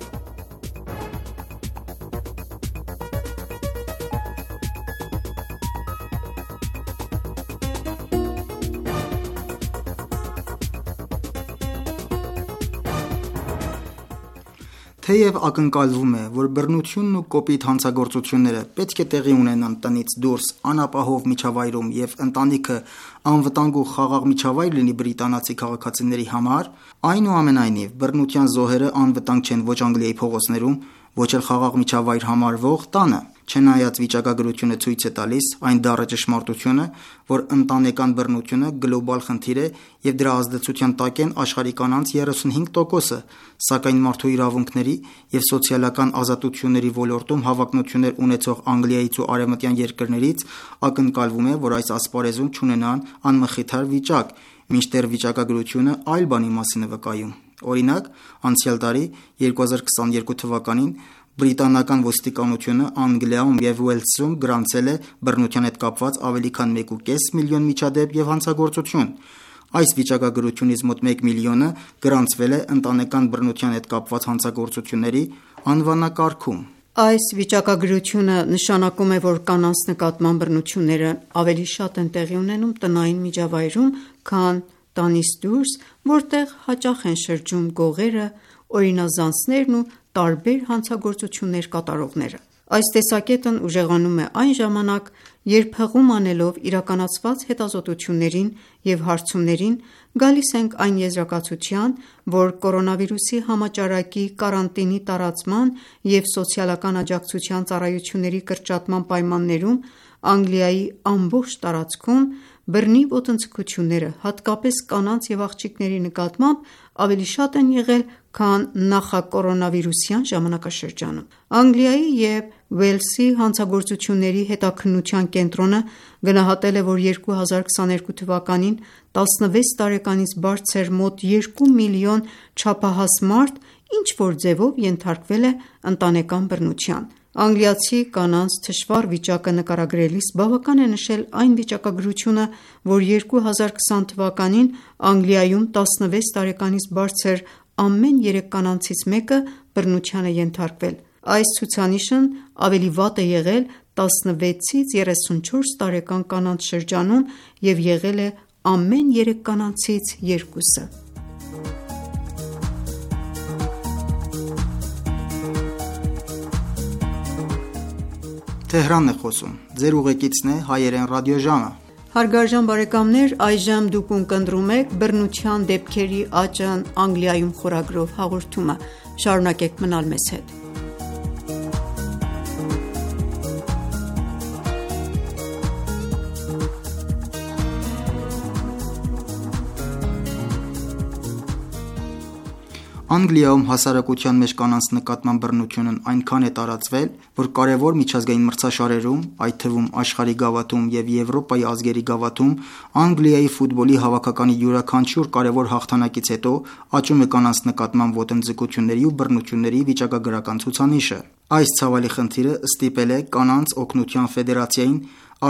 Թեև ակնկալվում է, որ բռնությունն ու կոպիտ հանցագործությունները պետք է տեղի ունենան տնից դուրս անապահով միջավայրում և ընտանիքը անվտանգ ու խաղաղ միջավայր լինի բրիտանացի քաղաքացիների համար, այնուամենայնիվ բռնության զոհերը անվտանգ չեն ոչ Անգլիայի փողոցներում, ոչ էլ խաղաղ միջավայր համարվող տանը։ Չնայած վիճակագրությունը ցույց է տալիս այն դառը ճշմարտությունը, որ ընտանեկան բռնությունը գլոբալ խնդիր է և դրա ազդեցության տակ են աշխարհի կանանց երեսունհինգ տոկոսը, սակայն մարդու իրավունքների և սոցիալական ազատությունների ոլորտում հավակնություններ ունեցող Անգլիայից ու արևմտյան երկրներից ակնկալվում է, որ այս ասպարեզում չունենան անմխիթար վիճակ, մինչդեռ վիճակագրությունը այլ բանի մասին է վկայում։ Օրինակ, անցյալ տարի երկու հազար քսաներկու թվականին բրիտանական ոստիկանությունը Անգլիայում և Ուելսում գրանցել է բռնության հետ կապված ավելի քան մեկ ու կես միլիոն միջադեպ և հանցագործություն։ Այս վիճակագրությունից մոտ մեկ միլիոնը գրանցվել է ընտանեկան բռնության հետ կապված հանցագործությունների անվանակարգում։ Այս վիճակագրությունը նշանակում է, որ կանանց նկատմամբ բռնությունները ավելի շատ են տեղի ունենում տնային միջավայրում, քան տանից դուրս, որտեղ հաճախ են շրջում գողերը, օրինազանցներն ու տարբեր հանցագործություններ կատարողները։ Այս տեսակետն ուժեղանում է այն ժամանակ, երբ հղում անելով իրականացված հետազոտություններին և հարցումներին գալիս ենք այն եզրակացության, որ կորոնավիրուսի համաճարակի, կարանտինի տարածման և սոցիալական աջակցության ծառայությունների կրճատման պայմաններում Անգլիայի ամբողջ տարածքում բռնի ոտնձգությունները, հատկապես կանանց և աղջիկների նկատմամբ, ավելի շատ են եղել, քան նախակորոնավիրուսյան ժամանակաշրջանում։ Անգլիայի և Ուելսի հանցագործությունների հետաքննության կենտրոնը գնահատել է, որ երկու հազար քսաներկու թվականին տասնվեց տարեկանից բարձր մոտ երկու միլիոն չափահաս մարդ ինչ-որ ձևով ենթարկվել է ընտանեկան բռնության։ Անգլիացի կանանց թշվառ վիճակը նկարագրելիս բավական է նշել այն վիճակագրությունը, որ երկու հազար քսան թվականին Անգլիայում տասնվեց տարեկանից բարձր ամեն երեք կանանցից մեկը բռնության է ենթարկվել։ Այս ցուցանիշն ավելի վատ է եղել տասնվեցից երեսունչորս տարեկան կանանց շրջանում և եղել է ամեն երեք կանանցից երկուսը։ Հարգարժան բարեկամներ, այժմ դուք ունկնդրում եք «Բռնության դեպքերի աճն Անգլիայում» խորագրով հաղորդումը։ Շարունակեք մնալ մեզ հետ։ Անգլիայում հասարակության մեջ կանանց նկատմամբ բռնությունն այնքան է տարածվել, որ կարևոր միջազգային մրցաշարերում, այդ թվում աշխարհի գավաթում և Եվրոպայի ազգերի գավաթում, Անգլիայի ֆուտբոլի հավաքականի յուրաքանչյուր կարևոր հաղթանակից հետո աճում է կանանց նկատմամբ ոտնձգությունների ու բռնությունների վիճակագրական ցուցանիշը։ Այս ցավալի խնդիրը ստիպել է Կանանց օգնության ֆեդերացիային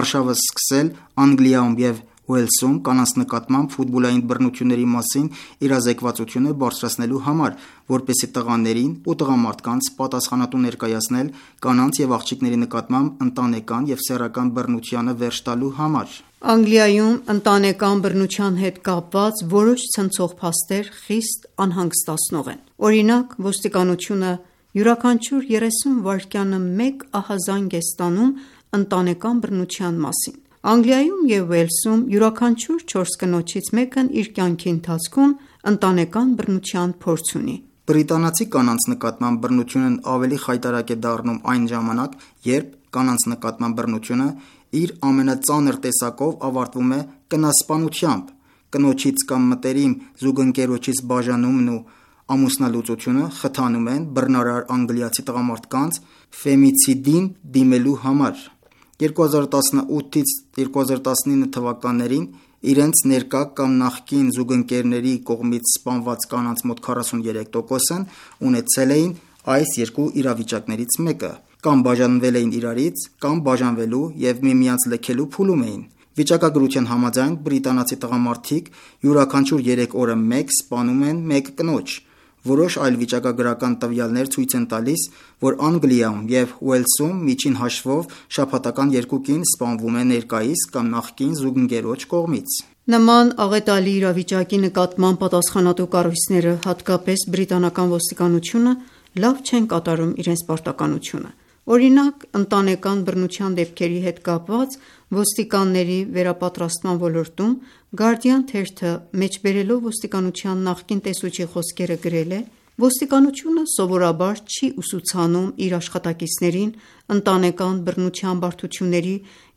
արշավը սկսել Անգլիայում և Ուելսում կանանց նկատմամբ ֆուտբոլային բռնությունների մասին իրազեկվածությունը բարձրացնելու համար, որպեսզի տղաներին ու տղամարդկանց պատասխանատու ներկայացնել կանանց և աղջիկների նկատմամբ ընտանեկան և սեռական բռնությանը վերջ տալու համար։ Անգլիայում ընտանեկան բռնության հետ կապված որոշ ցնցող փաստեր խիստ անհանգստացնող են։ Օրինակ, ոստիկանությունը յուրաքանչյուր երեսուն վայրկյանը մեկ ահազանգ է ստանում ընտանեկան բռնության մասին։ Անգլիայում և Ուելսում յուրաքանչյուր չորս կնոջից մեկն իր կյանքի ընթացքում ընտանեկան բռնության փորձ ունի։ Բրիտանացի կանանց նկատմամբ բռնությունն ավելի խայտառակ է դառնում այն ժամանակ, երբ կանանց նկատմամբ բռնությունը իր ամենածանր տեսակով ավարտվում է կնասպանությամբ։ Կնոջից կամ մտերիմ զուգընկերոջից բաժանումն ու ամուսնալուծությունը խթանում են բռնարար անգլիացի տղամարդկանց ֆեմիցիդին դիմելու համար։ երկու հազար տասնութից երկու հազար տասնինը թվականներին իրենց ներկա կամ նախկին զուգընկերների կողմից սպանված կանանց մոտ քառասուներեք տոկոսն ունեցել էին այս երկու իրավիճակներից մեկը, կամ բաժանվել էին իրարից, կամ բաժանվելու և միմյանց լքելու փուլում էին։ Վիճակագրության համաձայն բրիտանացի տղամարդիկ յուրաքանչյուր երեք օրը մեկ սպանում են մեկ կնոջ։ Որոշ այլ վիճակագրական տվյալներ ցույց են տալիս, որ Անգլիայում և Ուելսում միջին հաշվով շաբաթական երկու կին սպանվում է ներկայիս կամ նախկին զուգընկերոջ կողմից։ Նման աղետալի իրավիճակի նկատմամբ պատասխանատու կառույցները, հատկապես բրիտանական ոստիկանությունը, լավ չեն կատարում իրենց պարտականությունը։ Օրինակ, ընտանեկան բռնության դեպքերի հետ կապված ոստիկանների վերապատրաստման ոլորտում Guardian թերթը մեջբերելով ոստիկանության նախկին տեսուչի խոսքերը գրել է. Ոստիկանությունը սովորաբար չի ուսուցանում իր աշխատակիցներին ընտանեկան բռնության բարդությունների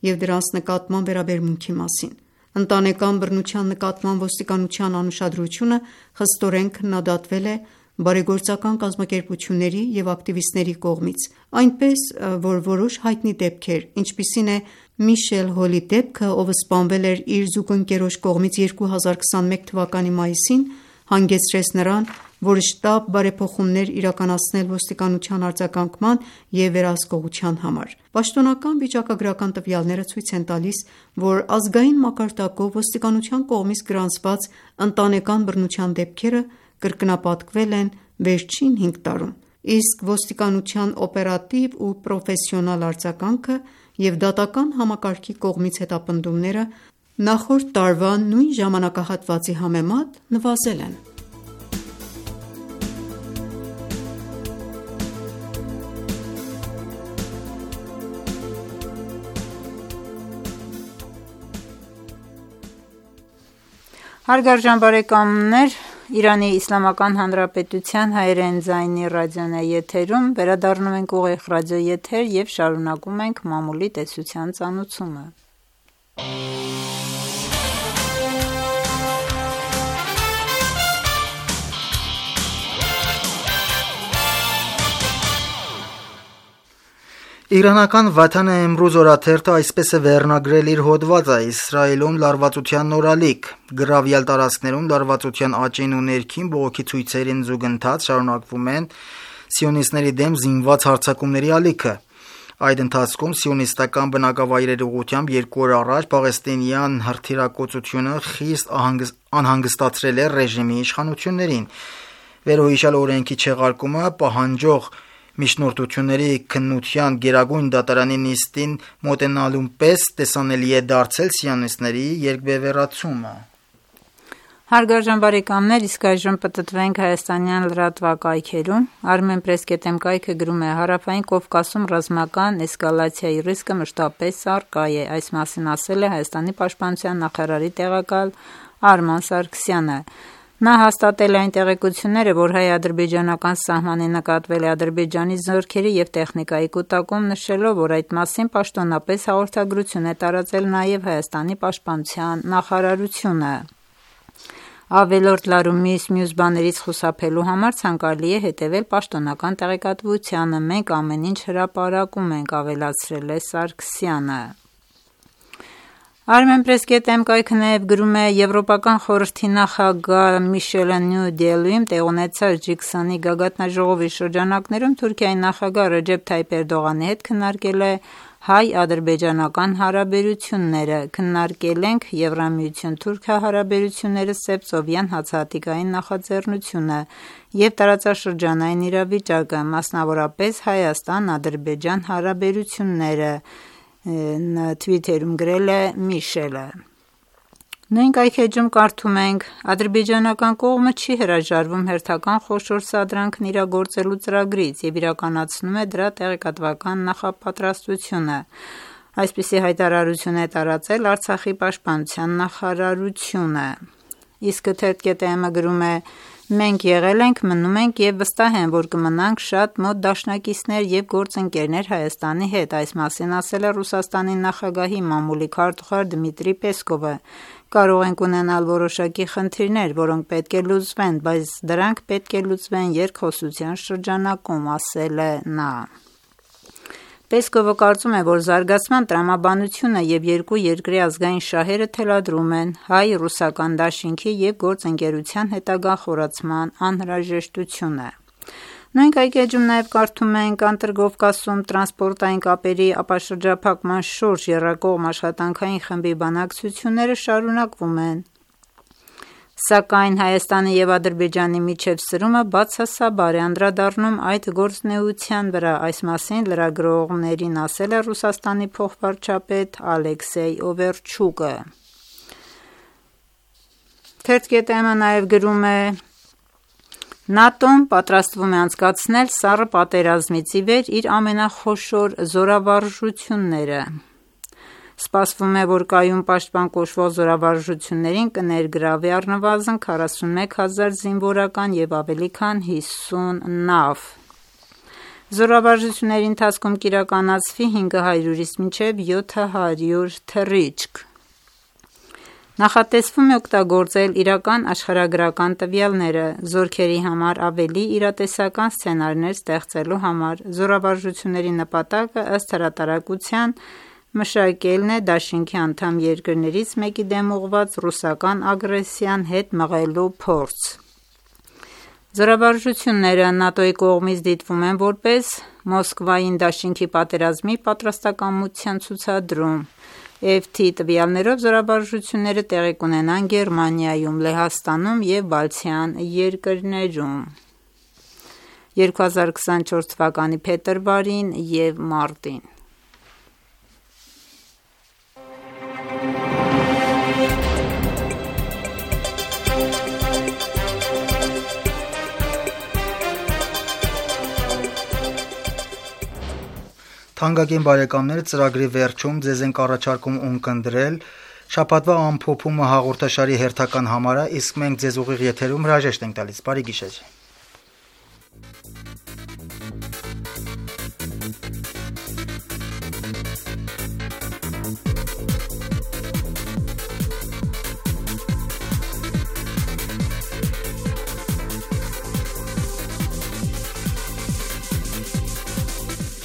և դրանց նկատմամբ վերաբերմունքի մասին։ Ընտանեկան բռնության նկատմամբ ոստիկանության անուշադրությունը խստորեն քննադատվել է բարեգործական կազմակերպությունների և ակտիվիստների կողմից, այնպես, որ որոշ հայտնի դեպքեր, ինչպիսին է Միշել Հոլի դեպքը, ով սպանվել էր իր զուգընկերոջ կողմից երկու հազար քսաներկու թվականի մայիսին, հանգեցրեց նրան, որ շտապ բարեփոխումներ իրականացնել ոստիկանության արձագանքման և վերահսկողության համար։ Պաշտոնական վիճակագրական տվյալները ցույց են տալիս, որ ազգային մակարդակով ոստիկանության կողմից գրանցված ընտանեկան բռնության դեպքերը կրկնապատկվել են վերջին հինգ տարում, իսկ ոստիկանության օպերատիվ ու պրոֆեսիոնալ արձագանքը և դատական համակարգի կողմից հետապնդումները նախորդ տարվա նույն ժամանակահատվածի համեմատ նվազել են։ Հարգարժան բարեկամներ, Իրանի Իսլամական Հանրապետության հայերեն ձայնի ռադիոն է եթերում, վերադառնում ենք ուղիղ ռադիոեթեր և շարունակում ենք մամուլի տեսության ծանոթումը։ Իրանական Վաթան Էմրուզ օրաթերթը այսպես է վերնագրել իր հոդվածը. Իսրայելում լարվածության նորալիք, գրավյալ տարածքներում լարվածության աճին ու ներքին բողոքի ցույցերին զուգընթաց շարունակվում են սիոնիստների դեմ զինված հարձակումների ալիքը։ Այդ ընթացքում սիոնիստական բնակավայրերի ուղղությամբ երկու օր առաջ պաղեստինյան հրթիռակոծությունը խիստ անհանգստացրել է ռեժիմի իշխանություններին։ Վերոհիշյալ օրենքի չեղարկումը պահանջող միջնորդությունների քննության գերագույն դատարանի նիստին մոտենալուն պես տեսանելի է դարձել սիոնիստների երկբևեռացումը։ Հարգարժան բարեկամներ, իսկ այժմ պտտվենք հայաստանյան լրատվակայքերում։ Armenpress.am կայքը գրում է. Հարավային Կովկասում ռազմական էսկալացիայի ռիսկը մշտապես առկա է։ Այս մասին ասել է Հայաստանի պաշտպանության նախարարի տեղակալ Արման Սարգսյանը։ Նա հաստատել է այն տեղեկությունները, որ հայ-ադրբեջանական սահմանին նկատվել է Ադրբեջանի զորքերի և տեխնիկայի կուտակում, նշելով, որ այդ մասին պաշտոնապես հաղորդագրություն է տարածել նաև Հայաստանի պաշտպանության նախարարությունը։ Ավելորդ լարումից մյուս բաներից խուսափելու համար ցանկալի է հետևել պաշտոնական տեղեկատվությանը։ Մենք ամեն ինչ հրապարակում ենք, ավելացրել է Սարգսյանը։ Armenpress.am կայքը նաև գրում է. Եվրոպական խորհրդի նախագահ Միշելը Նյու Դելիում տեղ ունեցած ջի քսունի գագաթնաժողովի շրջանակներում Թուրքիայի նախագահ Ռեջեփ Թայիփ Էրդողանի հետ քննարկել է հայ-ադրբեջանական հարաբերությունները։ Քննարկել ենք Եվրամիություն-Թուրքիա հարաբերությունները, Սևծովյան հացահատիկային նախաձեռնությունը և տարածաշրջանային իրավիճակը, մասնավորապես Հայաստան-Ադրբեջան հարաբերությունները, թվիթերում գրել է Միշելը։ Նույն կայքէջում կարդում ենք. Ադրբեջանական կողմը չի հրաժարվում հերթական խոշոր սադրանքն իրագործելու ծրագրից և իրականացնում է դրա տեղեկատվական նախապատրաստությունը։ Այսպիսի հայտարարություն է տարածել Արցախի պաշտպանության նախարարությունը։ Իսկ թերթ.am-ը գրում է. Մենք եղել ենք, մնում ենք և վստահ եմ, որ կմնանք շատ մոտ դաշնակիցներ և գործընկերներ Հայաստանի հետ։ Այս մասին ասել է Ռուսաստանի նախագահի մամուլի քարտուղար Դմիտրի Պեսկովը։ Կարող ենք ունենալ որոշակի խնդիրներ, որոնք պետք է լուծվեն, բայց դրանք պետք է լուծվեն երկխոսության շրջանակում, ասել է նա։ Պեսկովը կարծում է, որ զարգացման տրամաբանությունը և երկու երկրի ազգային շահերը թելադրում են հայ-ռուսական դաշինքի և գործընկերության հետագա խորացման անհրաժեշտությունը։ Նույն կայքէջում նաև կարդում ենք. Անտրկովկասում տրանսպորտային կապերի ապաշրջափակման շուրջ եռակողմ աշխատանքային խմբի բանակցությունները շարունակվում են, սակայն Հայաստանի և Ադրբեջանի միջև սրումը բացասաբար է անդրադառնում այդ գործունեության վրա։ Այս մասին լրագրողներին ասել է Ռուսաստանի փոխվարչապետ Ալեքսեյ Օվերչուկը։ Թերթ.am-ը նաև գրում է. ՆԱՏՕ-ն պատրաստվում է անցկացնել սառը պատերազմից ի վեր իր ամենախոշոր զորավարժությունները։ Սպասվում է, որ կայուն պաշտպան կոչվող զորավարժություններին կներգրավի առնվազն քառասունմեկ հազար զինվորական և ավելի քան հիսուն նավ։ Զորավարժությունների ընթացքում կիրականացվի հինգ հարյուրից մինչև յոթ հարյուր թռիչք։ Նախատեսվում է օգտագործել իրական աշխարհագրական տվյալները զորքերի համար ավելի իրատեսական սցենարներ ստեղծելու համար։ Զորավարժությունների նպատակը ըստ հրատարակության մշակելն է դաշինքի անդամ երկրներից մեկի դեմ ուղղված ռուսական ագրեսիան հետ մղելու փորձ։ Զորավարժությունները ՆԱՏՕ-ի կողմից դիտվում են որպես Մոսկվային դաշինքի պատերազմի պատրաստակամության ցուցադրում։ Էֆ թի տվյալներով զորավարժությունները տեղի կունենան Գերմանիայում, Լեհաստանում և Բալթյան երկրներում երկու հազար քսանչորս թվականի փետրվարին և մարտին։ Թանկագին բարեկամներ, ծրագրի վերջում ձեզ ենք առաջարկում ունկնդրել շաբաթվա ամփոփումը հաղորդաշարի հերթական համարը, իսկ մենք ձեզ ուղիղ եթերում հրաժեշտ ենք տալիս։ Բարի գիշեր։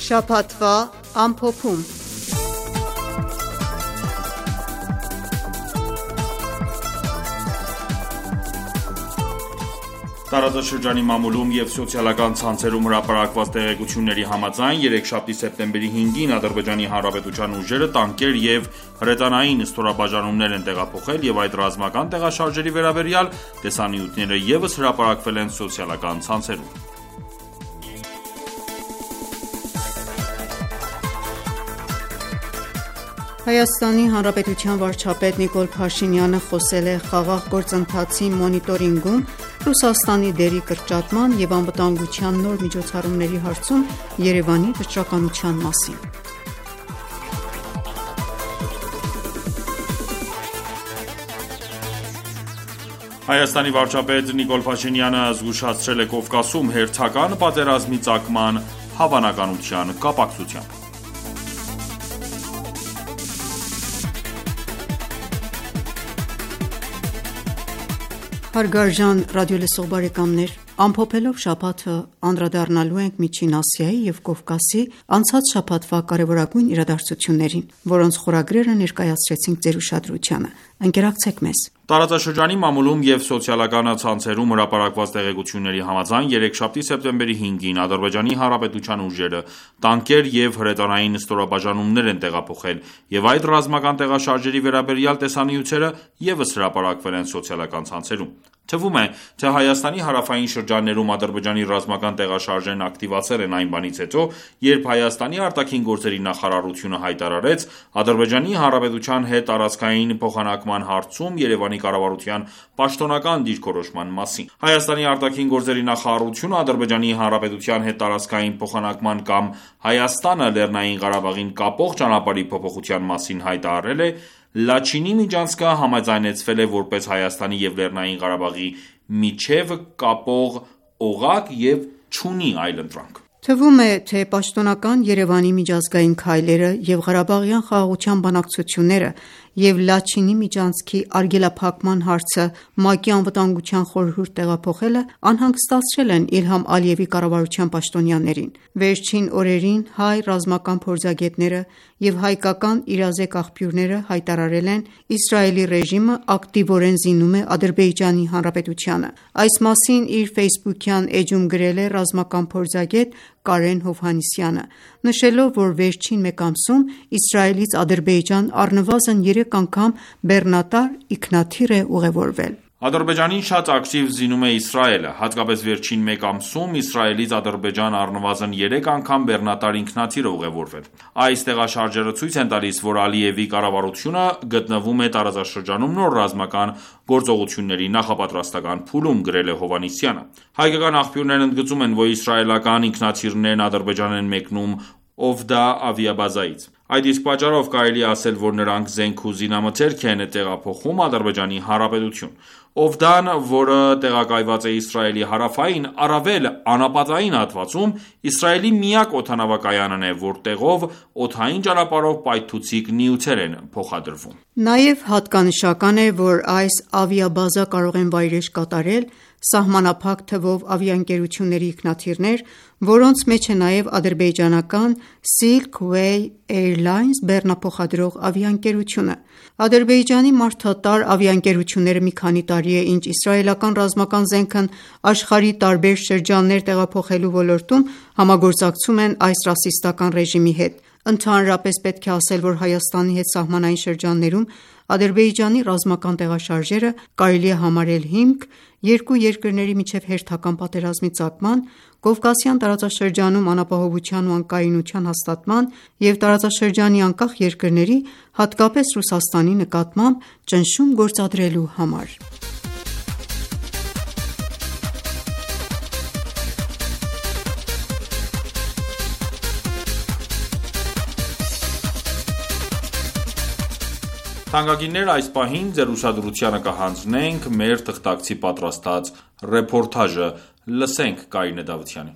Շաբաթվա ամփոփում։ Տարածաշրջանի մամուլում և սոցիալական ցանցերում հրապարակված տեղեկությունների համաձայն երեքշաբթի սեպտեմբերի հինգին Ադրբեջանի Հանրապետության ուժերը տանկեր և հրետանային ստորաբաժանումներ են տեղափոխել և այդ ռազմական տեղաշարժերի վերաբերյալ տեսանյութերը ևս հրապարակվել են սոցիալական ցանցերում։ Հայաստանի Հանրապետության վարչապետ Նիկոլ Փաշինյանը խոսել է խաղաղ գործընթացի մոնիտորինգում Ռուսաստանի դերի կրճատման և անվտանգության նոր միջոցառումների հարցում Երևանի վճռականության մասին։ Հայաստանի վարչապետ Նիկոլ Փաշինյանը զգուշացրել է Կովկասում հերթական պատերազմի ծագման հավանականության կապակցությամբ։ Հարգարժան ռադիոլսող բարեկամներ, ամփոփելով շաբաթը անդրադառնալու ենք Միջին Ասիայի և Կովկասի անցած շաբաթվա կարևորագույն իրադարձություններին, որոնց խորագրերը ներկայացրեցինք ձեր ուշադրությանը։ Ընկերակցեք մեզ։ Տարածաշրջանի մամուլում և սոցիալական ցանցերում հրապարակված տեղեկությունների համաձայն երեքշաբթի սեպտեմբերի հինգին Ադրբեջանի Հանրապետության ուժերը տանկեր և հրետանային ստորաբաժանումներ են տեղափոխել և այդ ռազմական տեղաշարժերի վերաբերյալ տեսանյութերը ևս հրապարակվել են սոցիալական ցանցերում։ Թվում է, թե Հայաստանի հարավային շրջաններում Ադրբեջանի ռազմական տեղաշարժերն ակտիվացել են այն բանից հետո, երբ Հայաստանի արտաքին գործերի նախարարությունը հայտարարեց Ադրբեջանի Հանրապետության հետ տարածքային փոխանակման հարցում Երևանի կառավարության պաշտոնական դիրքորոշման մասին։ Հայաստանի արտաքին գործերի նախարարությունը Ադրբեջանի Հանրապետության հետ տարածքային փոխանակման կամ Հայաստանը Լեռնային Ղարաբաղին կապող ճանապարհի փոփոխության մասին հայտարարել է Լաչինի միջանցքը համաձայնեցվել է որպես Հայաստանի և Լեռնային Ղարաբաղի միջև կապող օղակ և չունի այլընտրանք։ Թվում է, թե պաշտոնական Երևանի միջազգային քայլերը և Ղարաբաղյան խաղաղության բանակցությունները և Լաչինի միջանցքի արգելափակման հարցը ՄԱԿ-ի անվտանգության խորհուրդ տեղափոխելը անհանգստացրել են Իլհամ Ալիևի կառավարության պաշտոնյաներին։ Վերջին օրերին հայ ռազմական փորձագետները և հայկական իրազեկ աղբյուրները հայտարարել են Իսրայելի ռեժիմը ակտիվորեն զինում է Ադրբեջանի Հանրապետությանը։ Այս մասին իր ֆեյսբուքյան էջում գրել է ռազմական փորձագետ Կարեն Հովհաննիսյանը, նշելով, որ վերջին մեկ ամսում Իսրայելից Ադրբեջան առնվազն երեք անգամ բեռնատար ինքնաթիռ է ուղևորվել։ Ադրբեջանին շատ ակտիվ զինում է Իսրայելը, հատկապես վերջին մեկ ամսում Իսրայելից Ադրբեջան առնվազն երեք անգամ բեռնատար ինքնաթիռ է ուղևորվել։ Այս տեղաշարժերը ցույց են տալիս, որ Ալիևի կառավարությունը գտնվում է տարածաշրջանում նոր ռազմական գործողությունների նախապատրաստական փուլում, գրել է Հովհաննիսյանը։ Հայկական աղբյուրներ ընդգծում են, որ իսրայելական ինքնաթիռներն Ադրբեջան են մեկնում Օվդա ավիաբազայից։ Այդ իսկ պատճառով կարելի է ասել, որ նրանք զենք ու զինամթերք են տեղափոխում Ադրբեջանի Հանրապետություն: Օվդան, որը տեղակայված է Իսրայելի հարավային, առավել անապատային հատվածում, Իսրայելի միակ օդանավակայանն է, որտեղով օդային ճանապարհով պայթուցիկ նյութեր են փոխադրվում: Նաև հատկանշական է, որ այս ավիաբազա կարող են վայրէջք կատարել սահմանափակ թվով ավիաընկերությունների ինքնաթիռներ, որոնց մեջ է նաև ադրբեջանական Silk Way Airlines բեռնափոխադրող ավիաընկերությունը: Ադրբեջանի մարդատար ավիաընկերությունները մի քանի տարի է, ինչ իսրայելական ռազմական զենքն աշխարհի տարբեր շրջաններ տեղափոխելու ոլորտում համագործակցում են այս ռասիստական ռեժիմի հետ: Ընդհանրապես պետք է ասել, որ Հայաստանի հետ սահմանային շրջաններում Ադրբեջանի ռազմական տեղաշարժերը կարելի է համարել հիմք երկու երկրների միջև հերթական պատերազմի ծագման, Կովկասյան տարածաշրջանում անապահովության ու անկայունության հաստատման և տարածաշրջանի անկախ երկրների, հատկապես Ռուսաստանի նկատմամբ ճնշում գործադրելու համար: Թանկագիններ, այս պահին ձեր ուշադրությանը կհանձնենք մեր թղթակցի պատրաստած ռեպորտաժը: Լսենք Կարինե Դավթյանին: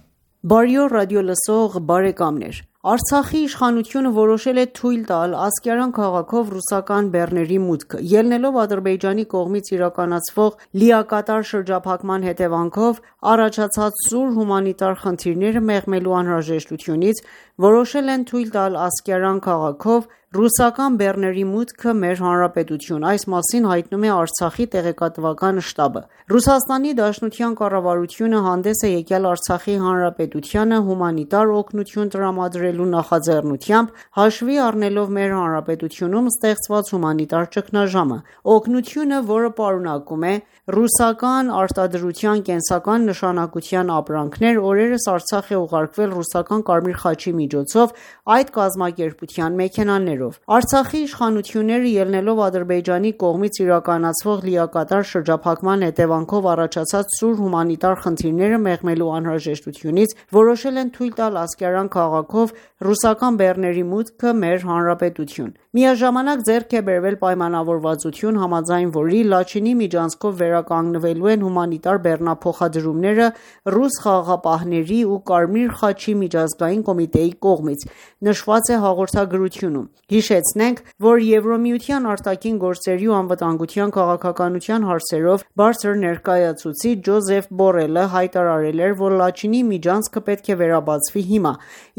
Բարի օր ռադիոլսող բարեկամներ: Արցախի իշխանությունը որոշել է թույլ տալ Ասկերան քաղաքով ռուսական բեռների մուտքը: Ելնելով Ադրբեջանի կողմից իրականացվող լիակատար շրջափակման հետևանքով առաջացած սուր հումանիտար խնդիրները մեղմելու անհրաժեշտությունից, որոշել են թույլ տալ Ասկերան քաղաքով ռուսական բեռների մուտքը մեր հանրապետություն: Այս մասին հայտնում է Արցախի տեղեկատվական շտաբը: ՌԴ կառավարությունը հանդես է եկել Արցախի հանրապետությանը հումանիտար օգնություն տրամադրելու նախաձեռնությամբ, հաշվի առնելով մեր հանրապետությունում ստեղծված հումանիտար ճգնաժամը: Օգնությունը, որը պարունակում է ռուսական արտադրության կենսական նշանակության ապրանքներ, օրերս Արցախ է ուղարկվել ռուսական Կարմիր խաչի միջոցով այդ կազմակերպության մեքենաներով: Արցախի իշխանությունները, ելնելով Ադրբեջանի կողմից իրականացվող լիակատար շրջափակման հետևանքով առաջացած սուր հումանիտար խնդիրները մեղմելու անհրաժեշտությունից, որոշել են թույլ տալ Ասկերան քաղաքով ռուսական բեռների մուտքը մեր հանրապետություն: Միաժամանակ ձեռք է բերվել պայմանավորվածություն, համաձայն որի Լաչինի միջանցքով վերականգնվելու են հումանիտար բեռնափոխադրումները ռուս խաղաղապահների ու Կարմիր խաչի միջազգային կոմիտեի կողմից, նշված է հաղորդագրությունում: Հիշեցնենք, որ Եվրամիության արտաքին գործերի ու անվտանգության քաղաքականության հարցերով բարձր ներկայացուցիչ Ջոզեֆ Բորելը հայտարարել էր, որ Լաչինի միջանցքը պետք է վերաբացվի հիմա,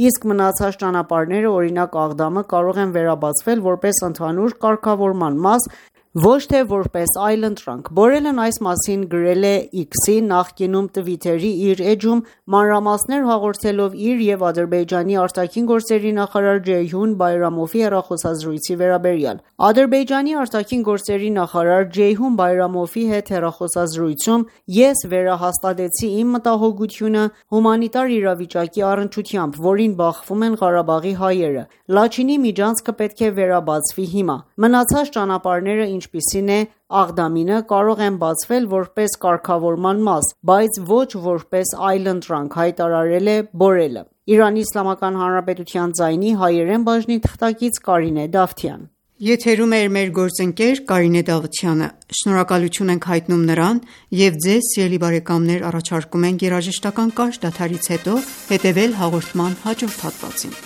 իսկ մնացած ճանապարհները, օրինակ Աղդամը, կարող են վերաբացվել որպես ընդհանուր կարգավորման մաս, ոչ թե որպես այլընտրանք: Բորելն այս մասին գրել է X-ի, նախկինում Twitter-ի իր էջում, մանրամասներ հաղորդելով իր և Ադրբեջանի արտաքին գործերի նախարար Ջեյհուն Բայրամովի հեռախոսազրույցի վերաբերյալ: Ադրբեջանի արտաքին գործերի նախարար Ջեյհուն Բայրամովի հետ հեռախոսազրույցում ես վերահաստատեցի իմ մտահոգությունը հումանիտար իրավիճակի առնչությամբ, որին բախվում են Ղարաբաղի հայերը: Լաչինի միջանցքը պետք է վերաբացվի հիմա: Մնացած ճանապարհները, ինչպիսին է Աղդամինը, կարող են բացվել որպես կարգավորման մաս, բայց ոչ որպես այլընտրանք, հայտարարել է Բորելը: ԻԻՀ ձայնի հայերեն բաժնի թղթակից Կարինե Դավթյան: Եթերում է մեր գործընկեր Կարինե Դավթյանը: Շնորհակալություն ենք հայտնում նրան և ձեզ սիրելի բարեկամներ առաջարկում ենք երաժշտական կարճ դադարից հետո հետևել հաղորդման հաջորդ հատվածին: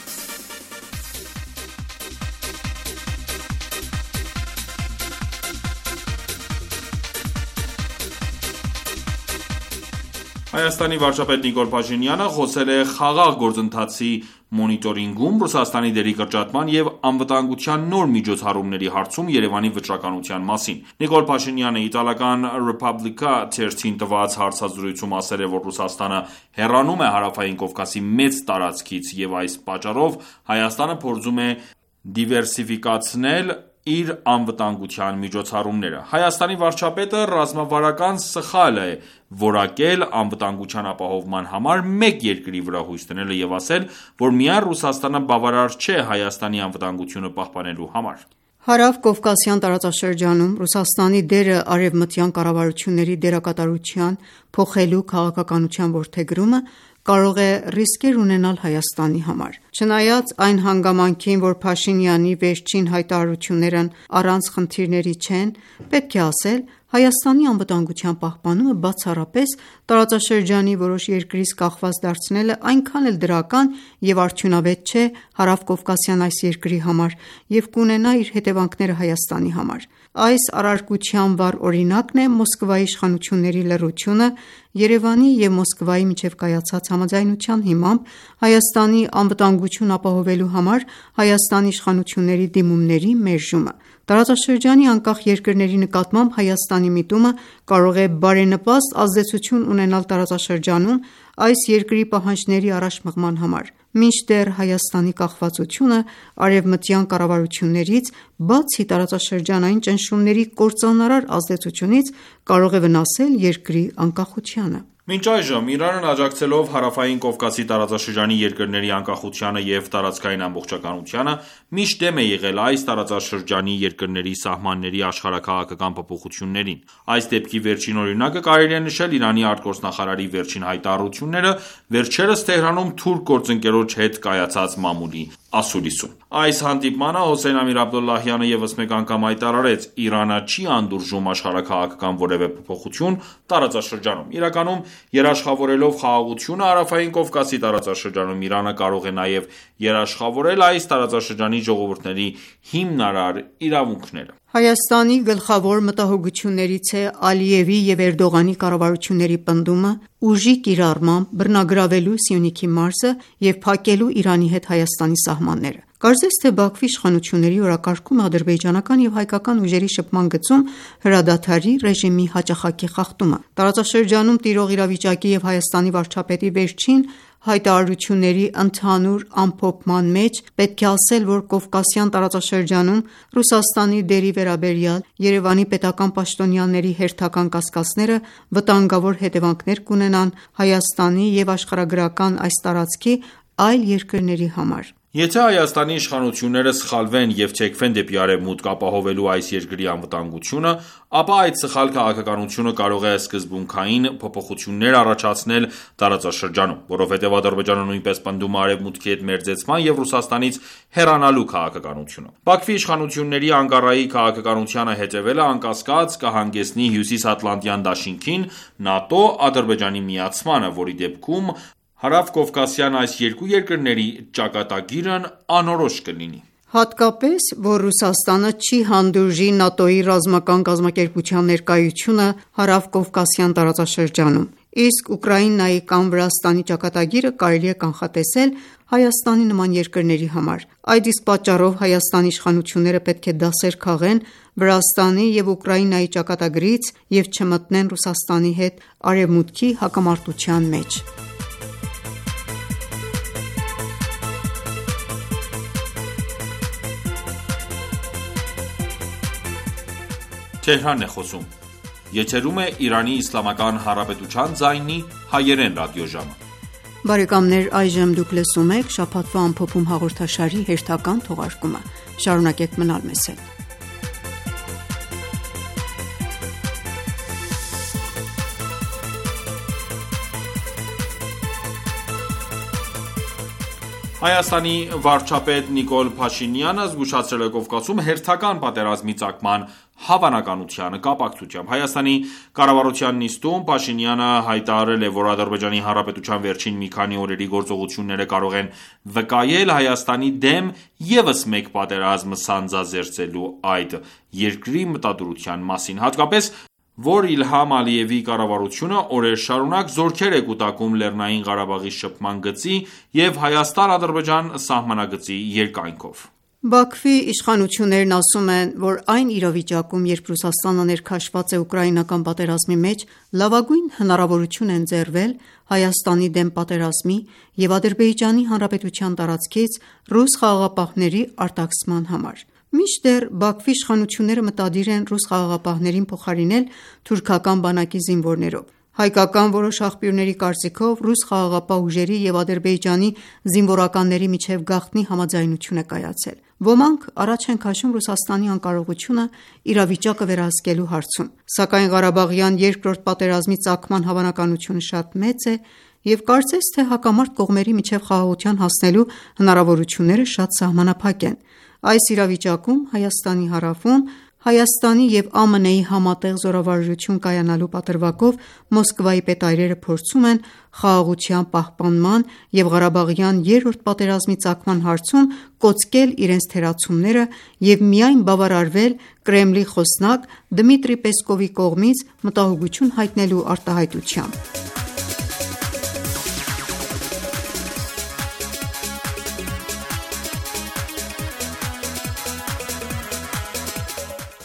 Հայաստանի վարչապետ Նիկոլ Փաշինյանը խոսել է խաղաղ գործընթացի մոնիտորինգում Ռուսաստանի դերի կրճատման և անվտանգության նոր միջոցառումների հարցում Երևանի վճռականության մասին: Նիկոլ Փաշինյանը իտալական «Ռեփաբլիկա» թերթին տված հարցազրույցում ասել է, որ Ռուսաստանը հեռանում է Հարավային Կովկասի մեծ տարածքից և այս պատճառով Հայաստանը փորձում է դիվերսիֆիկացնել իր անվտանգության միջոցառումները: Հայաստանի վարչապետը ռազմավարական սխալ է որակել անվտանգության ապահովման համար մեկ երկրի վրա հույս դնելը և ասել, որ միայն Ռուսաստանը բավարար չէ Հայաստանի անվտանգությունը պահպանելու համար: Հարավկովկասյան տարածաշրջանում Ռուսաստանի դերը արևմտյան կառավարությունների դերակատարության փոխելու քաղաքականության որդեգրումը կարող է ռիսկեր ունենալ Հայաստանի համար: Չնայած այն հանգամանքին, որ Փաշինյանի վերջին հայտարարություններն առանց խնդիրների չեն, պետք է ասել, Հայաստանի անվտանգության պահպանումը բացառապես տարածաշրջանի որոշ երկրից կախված դարձնելը այնքան էլ դրական և արդյունավետ չէ հարավկովկասյան այս երկրի համար և կունենա իր հետևանքները Հայաստանի համար: Այս առարկության վառ օրինակն է Մոսկվայի իշխանությունների լռությունը Երևանի և Մոսկվայի միջև կայացած համաձայնության հիմամբ Հայաստանի անվտանգությունն ապահովելու համար Հայաստանի իշխանությունների դիմումների մերժումը: Տարածաշրջանի անկախ երկրների նկատմամբ Հայաստանի միտումը կարող է բարենպաստ ազդեցություն ունենալ տարածաշրջանում այս երկրի պահանջների առաջ մղման համար, մինչդեռ Հայաստանի կախվածությունը արևմտյան կառավարություններից, բացի տարածաշրջանային ճնշումների կործանարար ազդեցությունից, կարող է վնասել երկրի անկախությանը: Մինչ այժմ Իրանն աջակցելով Հարավային Կովկասի տարածաշրջանի երկրների անկախությանը և տարածքային ամբողջականությանը, միշտ դեմ է եղել այս տարածաշրջանի երկրների սահմանների աշխարհաքաղաքական փոփոխություններին: Այս դեպքի վերջին օրինակը կարելի է նշել Իրանի արտգործնախարարի վերջին հայտարարությունները վերջերս Թեհրանում թուրք գործընկերոջ հետ կայացած մամուլի ասուլիսում: Այս հանդիպմանը Հոսեյն Ամիր-Աբդոլլահյանը ևս մեկ անգամ հայտարարեց. «Իրանը չի անդուրժում աշխարհաքաղաքական որևէ փոփոխություն տարածաշրջանում»: Իրականում, երաշխավորելով խաղաղությունը Հարավային Կովկասի տարածաշրջանում, Իրանը կարող է նաև երաշխավորել այս տարածաշրջանի ժողովուրդների հիմնարար իրավունքները: Հայաստանի գլխավոր մտահոգություններից է Ալիևի և Էրդողանի կառավարությունների պնդումը ուժի կիրառմամբ բռնագրավելու Սյունիքի մարզը և փակելու Իրանի հետ Հայաստանի սահմանները: Կարծես թե Բաքվի իշխանությունների օրակարգումը ադրբեջանական և հայկական ուժերի շփման գծում հրադադարի ռեժիմի հաճախակի խախտումը: Տարածաշրջանում տիրող իրավիճակի և Հայաստանի վարչապետի վերջին հայտարարությունների ընդհանուր ամփոփման մեջ պետք է ասել, որ Կովկասյան տարածաշրջանում Ռուսաստանի դերի վերաբերյալ Երևանի պետական պաշտոնյաների հերթական կասկածները վտանգավոր հետևանքներ կունենան Հայաստանի և աշխարհագրական այս տարածքի այլ երկրների համար: Եթե Հայաստանի իշխանությունները սխալվեն և թեքվեն դեպի Արևմուտք՝ ապահովելու այս երկրի անվտանգությունը, ապա այդ սխալ քաղաքականությունը կարող է սկզբունքային փոփոխություններ առաջացնել տարածաշրջանում, որովհետև Ադրբեջանը նույնպես պնդում է Արևմուտքի հետ մերձեցման և Ռուսաստանից հեռանալու քաղաքականությունը: Բաքվի իշխանությունների Անկարայի քաղաքականությանը հետևելը անկասկած կհանգեցնի Հյուսիսատլանտյան դաշինքին ՆԱՏՕ Ադրբեջանի միացմանը, որի դեպքում հարավկովկասյան այս երկու երկրների ճակատագիրն անորոշ կլինի: Հատկապես, որ Ռուսաստանը չի հանդուրժի ՆԱՏՕ-ի ռազմական կազմակերպության ներկայությունը հարավկովկասյան տարածաշրջանում, իսկ Ուկրաինայի կամ Վրաստանի ճակատագիրը կարելի է կանխատեսել Հայաստանի նման երկրների համար: Այդ իսկ պատճառով Հայաստանի իշխանությունները պետք է դասեր քաղեն Վրաստանի և Ուկրաինայի ճակատագրից և չմտնեն Ռուսաստանի հետ Արևմուտքի հակամարտության մեջ: Հայաստանի վարչապետ Նիկոլ Փաշինյանը զգուշացրել է Կովկասում հերթական պատերազմի ծագման հավանականության կապակցությամբ: Հայաստանի կառավարության նիստում Փաշինյանը հայտարարել է, որ Ադրբեջանի Հանրապետության վերջին մի քանի օրերի գործողությունները կարող են վկայել Հայաստանի դեմ ևս մեկ պատերազմ սանձազերծելու այդ երկրի մտադրության մասին, հատկապես, որ Իլհամ Ալիևի կառավարությունը օրեր շարունակ զորքեր է կուտակում Լեռնային Ղարաբաղի շփման գծի և Հայաստան-Ադրբեջան սահմանագծի երկայնքով: Բաքվի իշխանություններն ասում են, որ այն իրավիճակում, երբ Ռուսաստանը ներքաշված է ուկրաինական պատերազմի մեջ, լավագույն հնարավորություն է ընձեռվել Հայաստանի դեմ պատերազմի և Ադրբեջանի Հանրապետության տարածքից ռուս խաղաղապահների արտաքսման համար: Մինչդեռ Բաքվի իշխանությունները մտադիր են ռուս խաղաղապահներին փոխարինել թուրքական բանակի զինվորներով: Հայկական որոշ աղբյուրների կարծիքով, ռուս խաղաղապահ ուժերի և Ադրբեջանի զինվորականների միջև գաղտնի համաձայնություն է կայացել: Ոմանք առաջ են քաշում Ռուսաստանի անկարողությունը իրավիճակը վերահսկելու հարցում: Սակայն Ղարաբաղյան երկրորդ պատերազմի ծագման հավանականությունը շատ մեծ է եւ կարծես թե հակամարտ կողմերի միջև խաղաղության հասնելու հնարավորությունները շատ սահմանափակ են։ Այս իրավիճակում Հայաստանի հարավում Հայաստանի եւ ԱՄՆ-ի համատեղ զորավարժություն կայանալու պատրվակով Մոսկվայի պետայրերը փորձում են խաղաղության պահպանման եւ Ղարաբաղյան երրորդ պատերազմի ծագման հարցում կոծկել իրենց թերացումները եւ միայն բավարարվել Կրեմլի խոսնակ Դմիտրի Պեսկովի կողմից մտահոգություն հայտնելու արտահայտությամբ։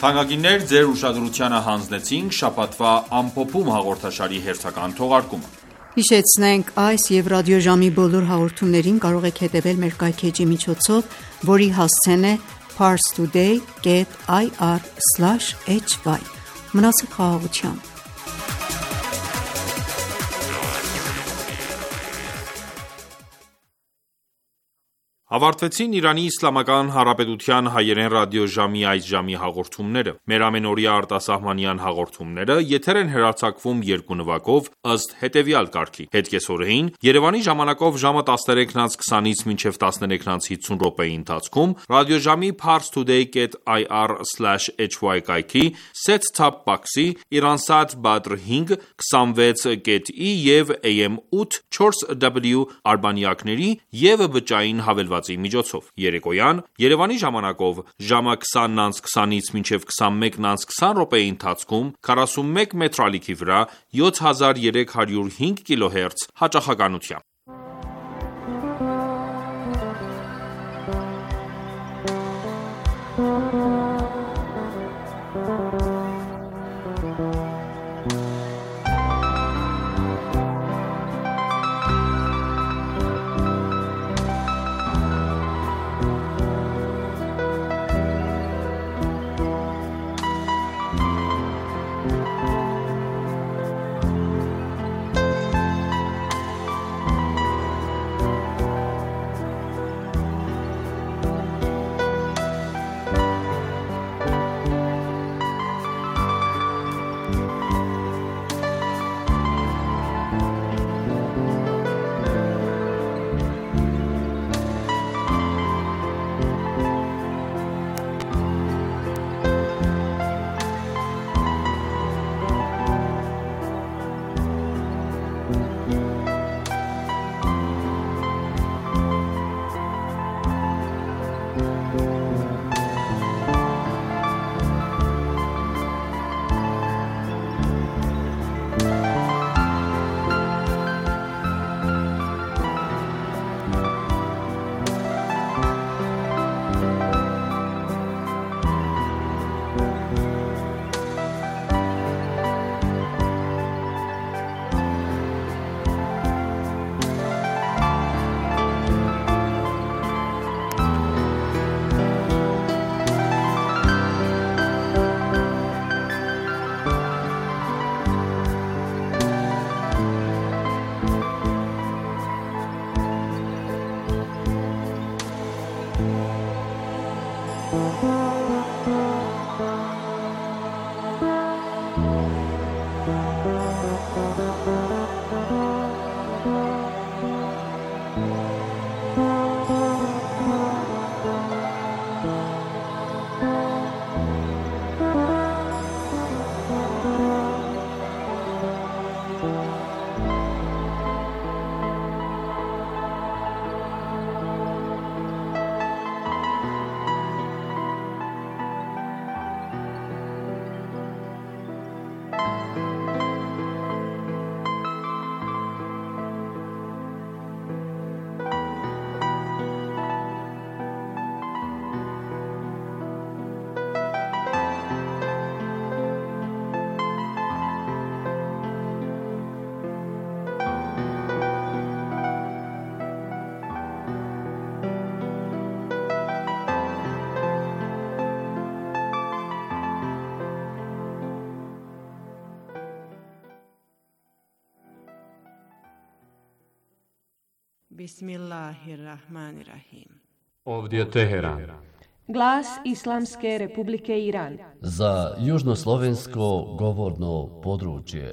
Թանկագիններ, ձեր ուշադրությանը հանձնեցինք շաբաթվա ամփոփում հաղորդաշարի հերթական թողարկումը։ Հիշեցնենք, այս եւ ռադիոժամի բոլոր հաղորդումներին կարող եք հետևել մեր կայքէջի միջոցով, որի հասցեն է parstoday dot ir slash h y։ Մնացեք խաղաղությամբ։ Ավարտվեցին Իրանի Իսլամական Հանրապետության հայերեն ռադիոժամի այս ժամի հաղորդումները։ Մեր ամենօրյա արտասահմանյան հաղորդումները եթեր են հեռարձակվում երկու նվագով ըստ հետևյալ կարգի. Հետկեսօրեին Երևանի ժամանակով ժամը տասներեքից քսանից մինչև տասներեքից հիսուն րոպեի ընթացքում ռադիոժամի parstoday dot ir slash h y կայքի set-top box-ի Iransat Badr հինգ քսանվեց dot i եւ A M ութ չորս W արբանյակների եւ բջջային հավելվածի միջոցով։ Երեկոյան Երևանի ժամանակով ժամը քսանից քսանից մինչև քսանմեկից քսան րոպեի ընթացքում քառասունմեկ մետրալիքի վրա յոթ հազար երեք հարյուր հինգ կիլոհերց հաճախականությամբ։ Bismillahirrahmanirrahim. Ovdje Teheran. Glas Islamske Republike Iran. Za južnoslovensko govorno područje.